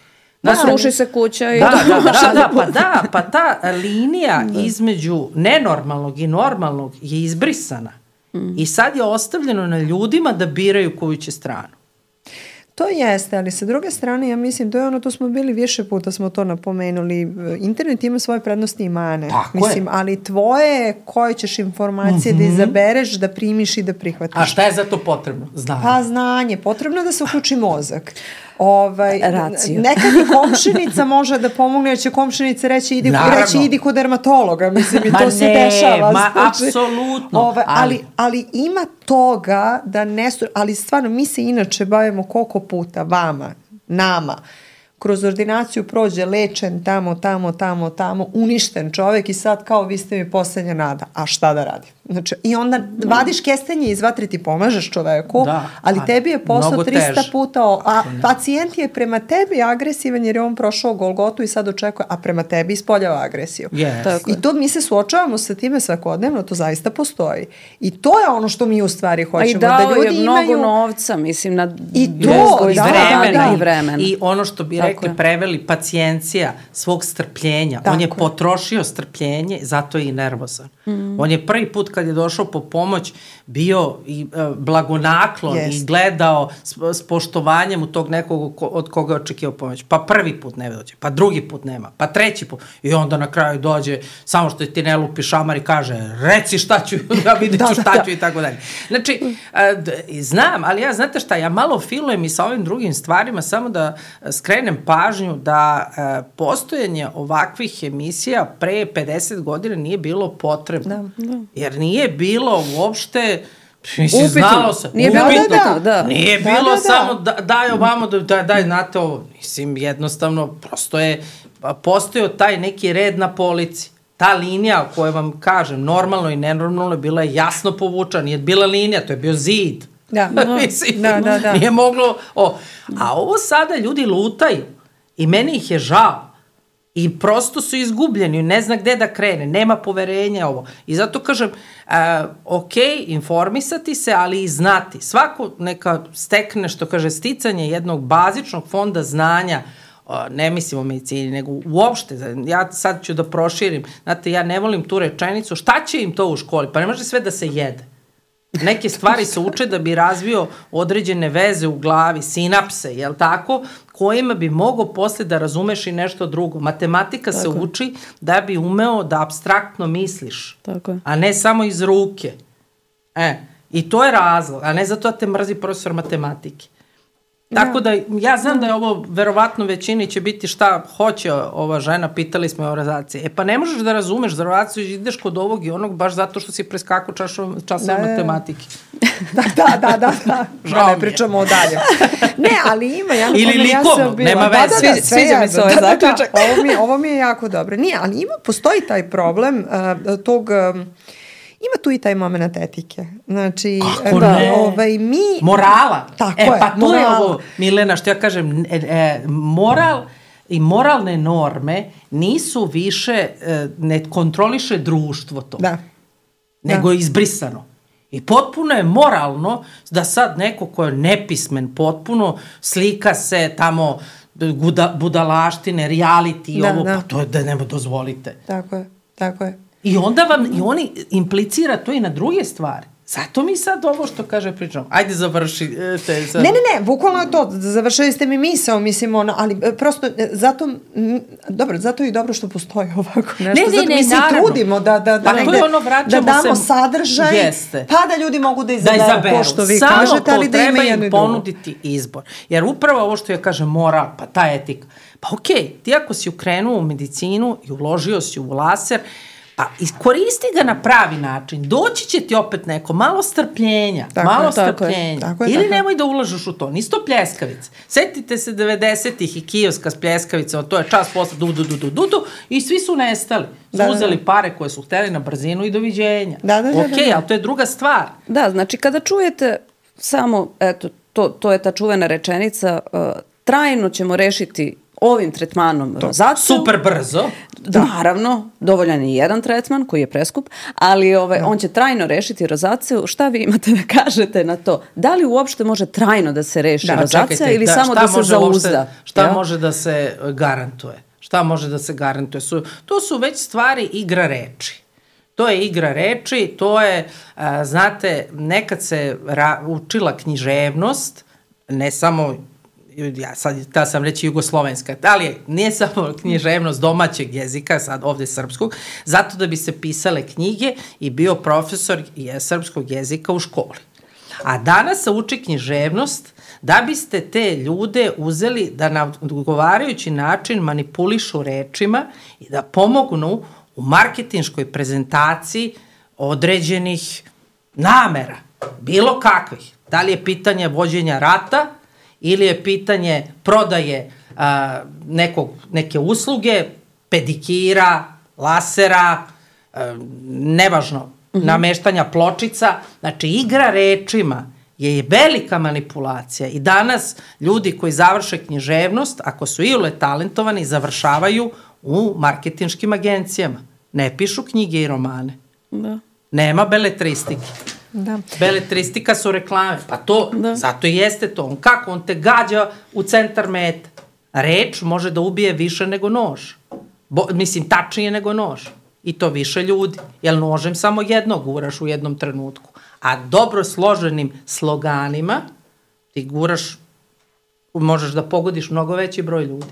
Da, sruši se kuća i... Da, da, da, da, pa da, pa ta linija da. između nenormalnog i normalnog je izbrisana. Mm. I sad je ostavljeno na ljudima da biraju koju će stranu. To jeste, ali sa druge strane, ja mislim, to je ono, to smo bili više puta, smo to napomenuli, internet ima svoje prednosti i mane. Tako mislim, je. Ali tvoje koje ćeš informacije mm-hmm. da izabereš, da primiš i da prihvatiš. A šta je za to potrebno? Znanje. Pa znanje, potrebno je da se uključi mozak. Ovaj, Raciju. Nekad i komšinica može da pomogne, jer će komšinica reći idi, reći, idi kod dermatologa, mislim, i to se dešava. Ma ne, ma apsolutno. Ovaj, ali, ali ima toga da ne su, ali stvarno mi se inače bavimo koliko puta vama, nama, kroz ordinaciju prođe lečen tamo, tamo, tamo, tamo, uništen čovek i sad kao vi ste mi poslednja nada. A šta da radim? Znači, i onda vadiš kestenje iz vatre, ti pomažeš čoveku, da, ali tebi je posao trista tež. puta, a pacijent je prema tebi agresivan jer je on prošao Golgotu i sad očekuje, a prema tebi ispoljava agresiju. Yes. I to mi se suočavamo sa time svakodnevno, to zaista postoji. I to je ono što mi u stvari hoćemo. A i dao da ljudi je mnogo imaju... novca, mislim, na I to, i da, vremena. da, da. I vremena. I ono što bi rekli, je. preveli pacijencija svog strpljenja. Tako on je, je potrošio strpljenje, zato je i nervozan. Mm. On je prvi put kad je došao po pomoć bio i uh, blagonaklon yes. i gledao s, s poštovanjem u tog nekog ko, od koga je očekivao pomoć. Pa prvi put ne dođe, pa drugi put nema, pa treći put. I onda na kraju dođe, samo što ti ne lupi šamar i kaže, reci šta ću, ja vidit ću šta ću i tako dalje. Znači, uh, d- znam, ali ja znate šta, ja malo filujem i sa ovim drugim stvarima, samo da skrenem pažnju da uh, postojanje ovakvih emisija pre pedeset godina nije bilo potrebno. Da, da. Jer nije bilo uopšte, mislim, znalo se. Nije bilo, da, da, da. Nije da, bilo da, da. samo da, daj ovamo, da, daj, znate ovo. Mislim, jednostavno, prosto je postojao taj neki red na polici. Ta linija koju vam kažem, normalno i nenormalno, bila je jasno povučena. Nije bila linija, to je bio zid. Da, mislim, da, da, da. Nije moglo, o. A ovo sada ljudi lutaju i meni ih je žao. I prosto su izgubljeni, ne zna gde da krene, nema poverenja ovo. I zato kažem, uh, ok, informisati se, ali i znati. Svako neka stekne, što kaže, sticanje jednog bazičnog fonda znanja, uh, ne mislim o medicini, nego uopšte, ja sad ću da proširim, znate, ja ne volim tu rečenicu, šta će im to u školi? Pa ne može sve da se jede. Neke stvari se uče da bi razvio određene veze u glavi, sinapse, jel tako, kojima bi mogao posle da razumeš i nešto drugo. Matematika tako se uči da bi umeo da apstraktno misliš, tako, a ne samo iz ruke. E, i to je razlog, a ne zato da te mrzi profesor matematike. Tako da, ja znam da je ovo, verovatno većini će biti šta hoće ova žena, pitali smo je o rezaciji. E pa ne možeš da razumeš za rezaciju, ideš kod ovog i onog baš zato što si preskakao časove da, matematike. Da, da, da, da. da. da ne pričamo o dalje. Ne, ali ima. Ja, ili likovno, ja nema veze. Da, da, da, sviđa mi se ovaj zaključak. Ovo mi, ovo mi je jako dobro. Nije, ali ima, postoji taj problem uh, tog... Um, ima tu i taj moment etike. Znači, kako da, ne? ovaj, mi... Morala. Tako e, je, pa to morala. je ovo, Milena, što ja kažem, e, e, moral i moralne norme nisu više, e, ne kontroliše društvo to. Da. Nego da. je izbrisano. I potpuno je moralno da sad neko ko je nepismen potpuno slika se tamo buda, budalaštine, reality i da, ovo, da. pa to je da nema dozvolite. Tako je, tako je. I onda vam, i oni implicira to i na druge stvari. Zato mi sad ovo što kaže pričamo. Ajde završi. Te, sad. Ne, ne, ne, bukvalno je to. Završili ste mi misao, mislim, ono, ali prosto, zato, m, dobro, zato je i dobro što postoji ovako nešto. Ne, ne, zato ne, mi se naravno. trudimo da, da, da, pa negde, to je ono, da damo se, sadržaj, jeste. pa da ljudi mogu da izaberu, da izaberu. ko što vi Samo kažete, ali da ima jedno i drugo. ponuditi izbor. Jer upravo ovo što ja kažem, moral, pa ta etika. Pa okej, okay, ti ako si ukrenuo u medicinu i uložio si u laser, pa iskoristi ga na pravi način. Doći će ti opet neko, malo strpljenja, tako malo je, strpljenja. Tako je, ili tako nemoj da ulažeš u to. Nisu to pljeskavice. Setite se devedesetih i kioska s pljeskavicama, to je čas posle du, du, du, du, du, du, i svi su nestali. Su da, uzeli da, da. pare koje su hteli na brzinu i doviđenja. Da, da, da, ok, da, da. ali to je druga stvar. Da, znači kada čujete samo, eto, to, to je ta čuvena rečenica, uh, trajno ćemo rešiti ovim tretmanom rozaciju. Super brzo. Da. Naravno, dovoljan je jedan tretman koji je preskup, ali ovaj, on će trajno rešiti rozaciju. Šta vi imate da kažete na to? Da li uopšte može trajno da se reši da, rozacija čekajte, ili da, samo da se zauzda? Uopšte, šta ja? može da se garantuje? Šta može da se garantuje? Su, to su već stvari igra reči. To je igra reči, to je, a, znate, nekad se ra, učila književnost, ne samo ja sad ta sam reći jugoslovenska, ali nije samo književnost domaćeg jezika, sad ovde srpskog, zato da bi se pisale knjige i bio profesor srpskog jezika u školi. A danas se uči književnost da biste te ljude uzeli da na odgovarajući način manipulišu rečima i da pomognu u marketinškoj prezentaciji određenih namera, bilo kakvih. Da li je pitanje vođenja rata, ili je pitanje prodaje a, nekog, neke usluge, pedikira, lasera, a, nevažno, mm-hmm. nameštanja pločica. Znači, igra rečima je velika manipulacija i danas ljudi koji završe književnost, ako su iole talentovani, završavaju u marketinškim agencijama. Ne pišu knjige i romane. Da. Nema beletristike. Da. Beletristika su reklame, pa to, da. zato i jeste to. On kako? On te gađa u centar meta. Reč može da ubije više nego nož. Bo, mislim, tačnije nego nož. I to više ljudi. Jer nožem samo jednog guraš u jednom trenutku. A dobro složenim sloganima ti guraš, možeš da pogodiš mnogo veći broj ljudi.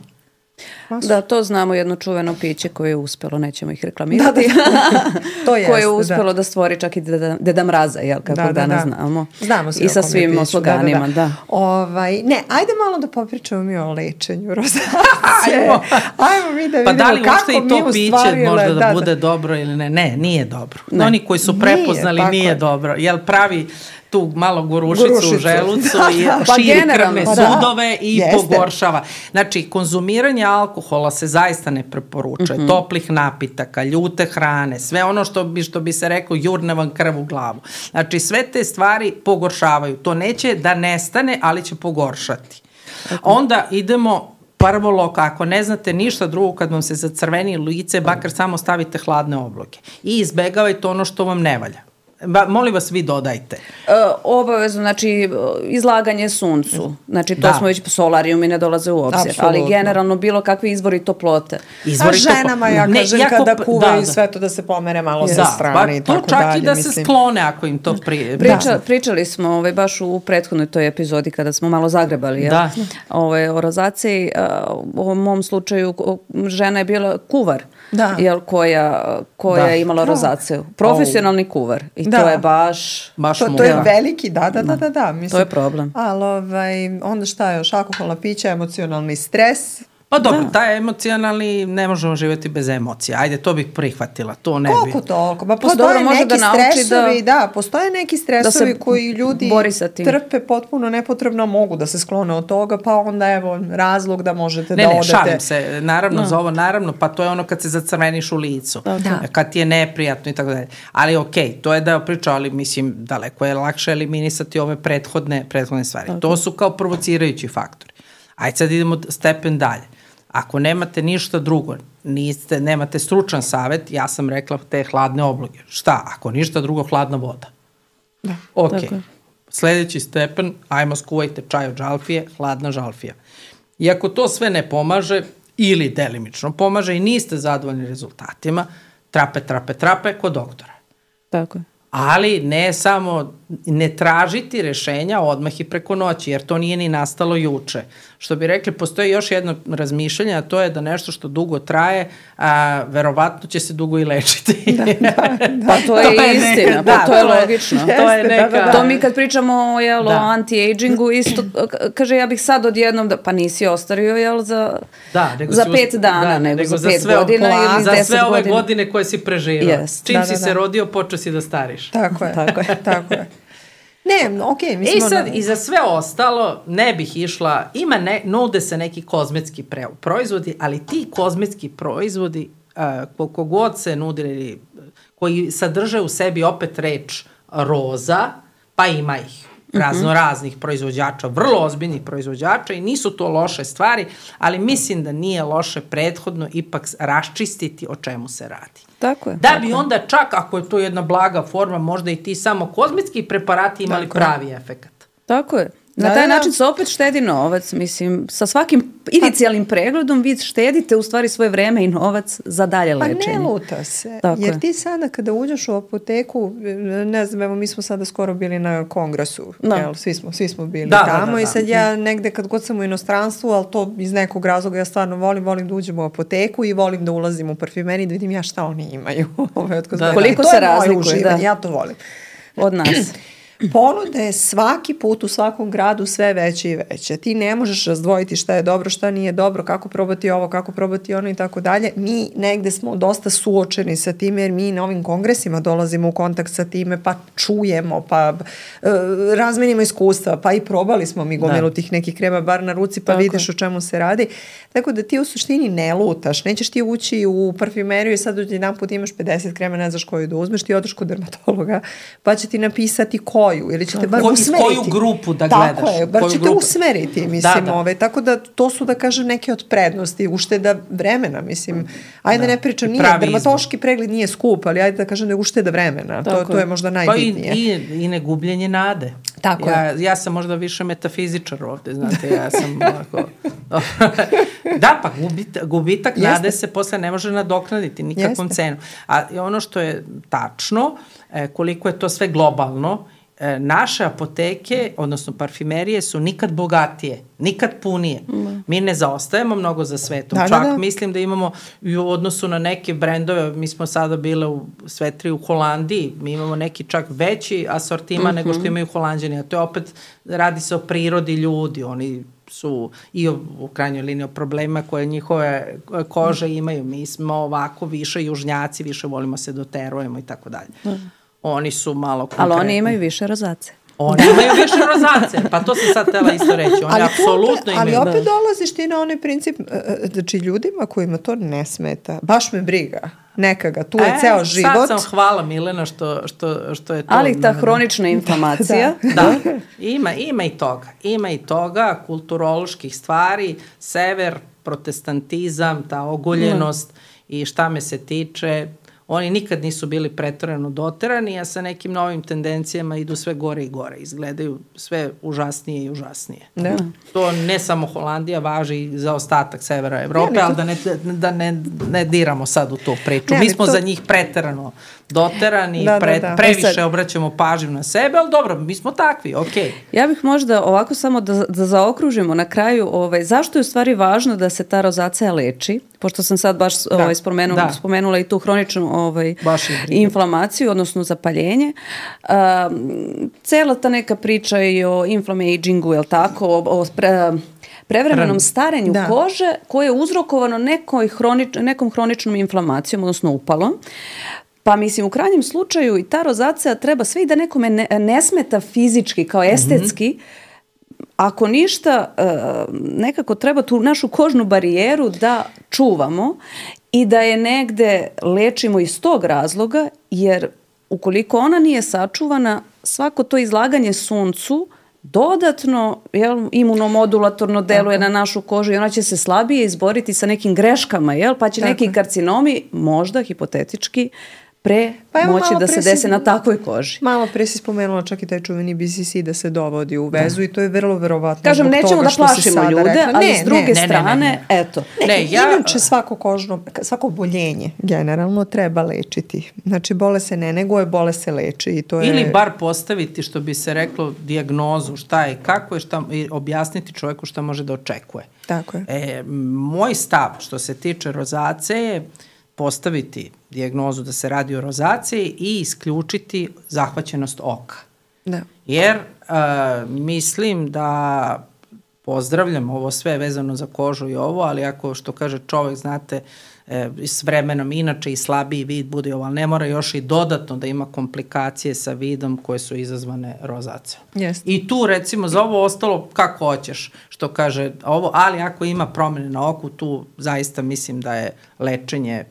Da, to znamo jedno čuveno piće koje je uspelo, nećemo ih reklamirati, da, da. To jeste, koje je uspelo da. da stvori čak i Deda, Deda Mraza, jel, kako da, danas da, da. znamo. Znamo sve i sa svim sloganima, da, da, da. da. Ovaj, ne, ajde malo da popričamo mi o lečenju rozacije. Ajmo. Ajmo mi da vidimo pa da li kako i to mi piće ustvarile, možda da, da bude da. dobro ili ne. Ne, nije dobro. Ne. Oni koji su prepoznali nije, nije dobro. Jel pravi tu malo gorušicu, gorušicu. u želucu da, i da. širi pa krvne pa sudove da. i Jeste. pogoršava. Znači, konzumiranje alkohola se zaista ne preporučuje. Mm-hmm. Toplih napitaka, ljute hrane, sve ono što bi, što bi se reklo jurne vam krv u glavu. Znači, sve te stvari pogoršavaju. To neće da nestane, ali će pogoršati. Okay. Onda idemo prvo loko, ako ne znate ništa drugo kad vam se zacrveni lice, bakar samo stavite hladne obloge. I izbegavajte ono što vam ne valja. Ba, molim vas, vi dodajte. E, obavezno, znači, izlaganje suncu. Znači, to da. smo već, solarijumi ne dolaze u obzir. Absolutno. Ali generalno bilo kakvi izvori toplote. Izvori A ženama, topo... ja kažem, ne, kada kuvaju da, da. sve to da se pomere malo da. sa strane i tako to čak dalje. i da mislim. se sklone ako im to prije. Priča, da. Pričali smo ovaj, baš u prethodnoj toj epizodi kada smo malo zagrebali ja, ovaj, o rozaciji. U ovom mom slučaju žena je bila kuvar. Da. Jel, koja, koja da. je imala da. rozaciju. Profesionalni kuvar. I da. to je baš... baš to, to je veliki, da, da, da, da. da mislim, to je problem. Ali ovaj, onda šta još? Alkoholna pića, emocionalni stres. Pa dobro, da. taj emocionalni ne možemo živjeti bez emocija. Ajde, to bih prihvatila, to ne bi. Koliko toliko? Pa Pa postoje dobro, može neki da nauči stresovi, da- da, postoje neki stresovi da se koji ljudi bori sa tim. trpe potpuno nepotrebno, mogu da se sklone od toga, pa onda evo razlog da možete Ne, da ne, odete. šalim se, naravno za ovo, naravno, pa to je ono kad se zacrveniš u licu, Da. kad ti je neprijatno i tako dalje. Ali okej, to je da priča, ali mislim, daleko je lakše eliminisati ove prethodne, prethodne stvari. To su kao provocirajući faktori. Ajde sad idemo stepen dalje. Ako nemate ništa drugo, niste, nemate stručan savet, ja sam rekla te hladne obloge. Šta? Ako ništa drugo, hladna voda. Da. Ok. Tako je. Sljedeći stepen, ajmo skuvajte čaj od žalfije, hladna žalfija. I ako to sve ne pomaže, ili delimično pomaže i niste zadovoljni rezultatima, trape, trape, trape kod doktora. Tako je. Ali ne samo, ne tražiti rešenja odmah i preko noći, jer to nije ni nastalo juče. Što bi rekli, postoji još jedno razmišljanje, a to je da nešto što dugo traje, a, verovatno će se dugo i lečiti. Da, da, da. Pa to je, To je istina, neka- pa da, to je to je- logično. To je Jeste, neka... da, da, da. To mi kad pričamo jel, Da. o anti-agingu, isto, k- kaže ja bih sad odjednom, da, pa nisi ostario jel, za, Da, nego za si pet us- dana, da, nego, za za pet sve godina opla- ili za deset sve ove godina. godine koje si preživao. Jest. Čim Da, si da, se da. rodio, počeo si da stariš. Tako je, Tako je. tako je. Ne, okej, okay, I mislim... sad, da- i za sve ostalo, ne bih išla, ima ne, nude se neki kozmetski pre, proizvodi, ali ti kozmetski proizvodi, uh, koliko god se nudili, koji sadrže u sebi opet reč roza, pa ima ih razno raznih proizvođača, vrlo ozbiljnih proizvođača i nisu to loše stvari, ali mislim da nije loše prethodno ipak raščistiti o čemu se radi. Tako je. Da bi onda čak, ako je to jedna blaga forma, možda i ti samo kozmetski preparati imali Tako je. pravi efekat. Tako je. Na Da, taj da. način se opet štedi novac, mislim, sa svakim inicijalnim pregledom vi štedite u stvari svoje vreme i novac za dalje Pa lečenje. ne luta se, Tako jer je. ti sada kada uđeš u apoteku, ne znam, evo mi smo sada skoro bili na kongresu, Da. jel, svi smo, svi smo bili Da, da, tamo da, i da. sad ja negde kad god sam u inostranstvu, ali to iz nekog razloga ja stvarno volim, volim da uđem u apoteku i volim da ulazim u parfimeriju da vidim ja šta oni imaju. Ove, od kozmetika. Koliko To se je moje razlikuje, uživanje, da. ja to volim. Od nas. Ponuda je svaki put u svakom gradu sve veće i veće. Ti ne možeš razdvojiti šta je dobro, šta nije dobro, kako probati ovo, kako probati ono i tako dalje. Mi negde smo dosta suočeni sa time jer mi na ovim kongresima dolazimo u kontakt sa time, pa čujemo, pa e, razmenimo iskustva, pa i probali smo mi gomilu Da. tih nekih krema bar na ruci, pa Tako. vidiš o čemu se radi. Tako da ti u suštini ne lutaš, nećeš ti ući u parfimeriju i sad jedan put imaš pedeset krema, ne znaš koju da uzmeš, ti odeš kod dermatologa, pa će ti napisati koju ili ćete bar Ko- iz usmeriti. koju grupu da Tako gledaš, je, bar koju ćete grupu. usmeriti, mislim, Da, da. ove, tako da to su, da kažem, neke od prednosti, ušteda vremena, mislim, ajde Da. ne pričam, I nije, pravi dermatološki pregled nije skup, ali ajde da kažem da je ušteda vremena, to, Tako to je je. možda Pa i, najbitnije. i, i ne gubljenje nade. Tako ja, je. Ja sam možda više metafizičar ovde, znate, ja sam ovako... da, pa gubit, gubitak Jeste. nade se posle ne može nadoknaditi nikakvom Jeste. cenu. A i ono što je tačno, e, koliko je to sve globalno, e, naše apoteke, odnosno parfimerije su nikad bogatije, nikad punije. Mm. Mi ne zaostajemo mnogo za svetom. Da, da, Čak da. mislim da imamo i u odnosu na neke brendove, mi smo sada bile u Svetri u Holandiji, mi imamo neki čak veći asortima mm-hmm. nego što imaju Holanđani, a to je opet, radi se o prirodi ljudi, oni su i o, u krajnjoj liniji o problemima koje njihove kože imaju. Mi smo ovako više južnjaci, više volimo se doterujemo i tako dalje. Oni su malo konkretni. Ali oni imaju više rozace. Oni imaju više rozace, pa to sam sad htela isto reći. Oni Ali apsolutno opet, imaju. ali opet dolaziš ti na onaj princip, e, znači ljudima kojima to ne smeta, baš me briga, neka ga, tu je E, ceo život. Sad sam hvala Milena što, što, što je to. Ali ta hronična inflamacija, Da, ima, ima i toga. Ima i toga, kulturoloških stvari, sever, protestantizam, ta ogoljenost i šta me se tiče, oni nikad nisu bili preterano doterani, a sa nekim novim tendencijama idu sve gore i gore. Izgledaju sve užasnije i užasnije. Da. To ne samo Holandija, važi i za ostatak severa Evrope, Ne, ali ali da, ne, da ne, ne diramo sad u tu priču. Ne, Mi ali smo to- za njih preterano doterani, Da, da, pre, da. previše E sad- obraćamo pažnju na sebe, ali dobro, mi smo takvi, okej. ja bih možda ovako samo da, da zaokružimo na kraju, ovaj, zašto je u stvari važno da se ta rozacija leči, pošto sam sad baš ovaj, spomenula, da. spomenula i tu hroničnu ovaj, Baš je briga. inflamaciju, odnosno zapaljenje. Um, cela ta neka priča i o inflamagingu, jel tako, o, o pre, prevremenom starenju da. kože koje je uzrokovano nekoj hronič, nekom hroničnom inflamacijom, odnosno upalom. Pa mislim, u krajnjem slučaju i ta rozacija treba sve i da nekome ne, ne smeta fizički, kao estetski, mm-hmm. ako ništa, nekako treba tu našu kožnu barijeru da čuvamo i da je negde lečimo iz tog razloga, jer ukoliko ona nije sačuvana, svako to izlaganje suncu dodatno jel, imunomodulatorno deluje Tako. na našu kožu i ona će se slabije izboriti sa nekim greškama, jel, pa će Tako. neki karcinomi možda hipotetički pre pa moći da se dese si, na takvoj koži. Malo pre si spomenula čak i taj čuveni B C C da se dovodi u vezu da. i to je vrlo verovatno. Kažem, nećemo da plašimo ljude, rekla. ali ne, s druge ne, strane, ne, ne, ne. eto. Ne, ne, ja... Inače svako kožno, svako boljenje generalno treba lečiti. Znači, bole se ne neguje, bole se leči. I to je... Ili bar postaviti, što bi se reklo, dijagnozu, šta je, kako je, šta, i objasniti čovjeku šta može da očekuje. Tako je. E, moj stav, što se tiče rozacije, je postaviti dijagnozu da se radi o rozaciji i isključiti zahvaćenost oka. Da. Jer uh, mislim da pozdravljam ovo sve vezano za kožu i ovo, ali ako što kaže čovjek, znate, e, s vremenom inače i slabiji vid bude ovo, ali ne mora još i dodatno da ima komplikacije sa vidom koje su izazvane rozacijom. Yes. I tu recimo za ovo ostalo kako hoćeš, što kaže ovo, ali ako ima promjene na oku, tu zaista mislim da je lečenje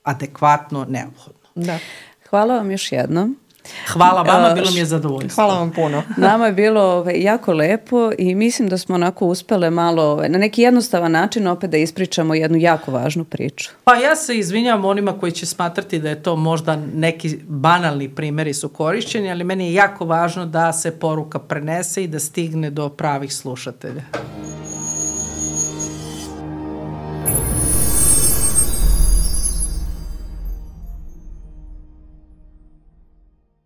adekvatno neophodno. Da. Hvala vam još jednom. Hvala vama, bilo mi je zadovoljstvo. Hvala vam puno. Nama je bilo ovaj, jako lepo i mislim da smo onako uspele malo ovaj, na neki jednostavan način opet da ispričamo jednu jako važnu priču. Pa ja se izvinjavam onima koji će smatrati da je to možda neki banalni primjeri su korišćeni, ali meni je jako važno da se poruka prenese i da stigne do pravih slušatelja.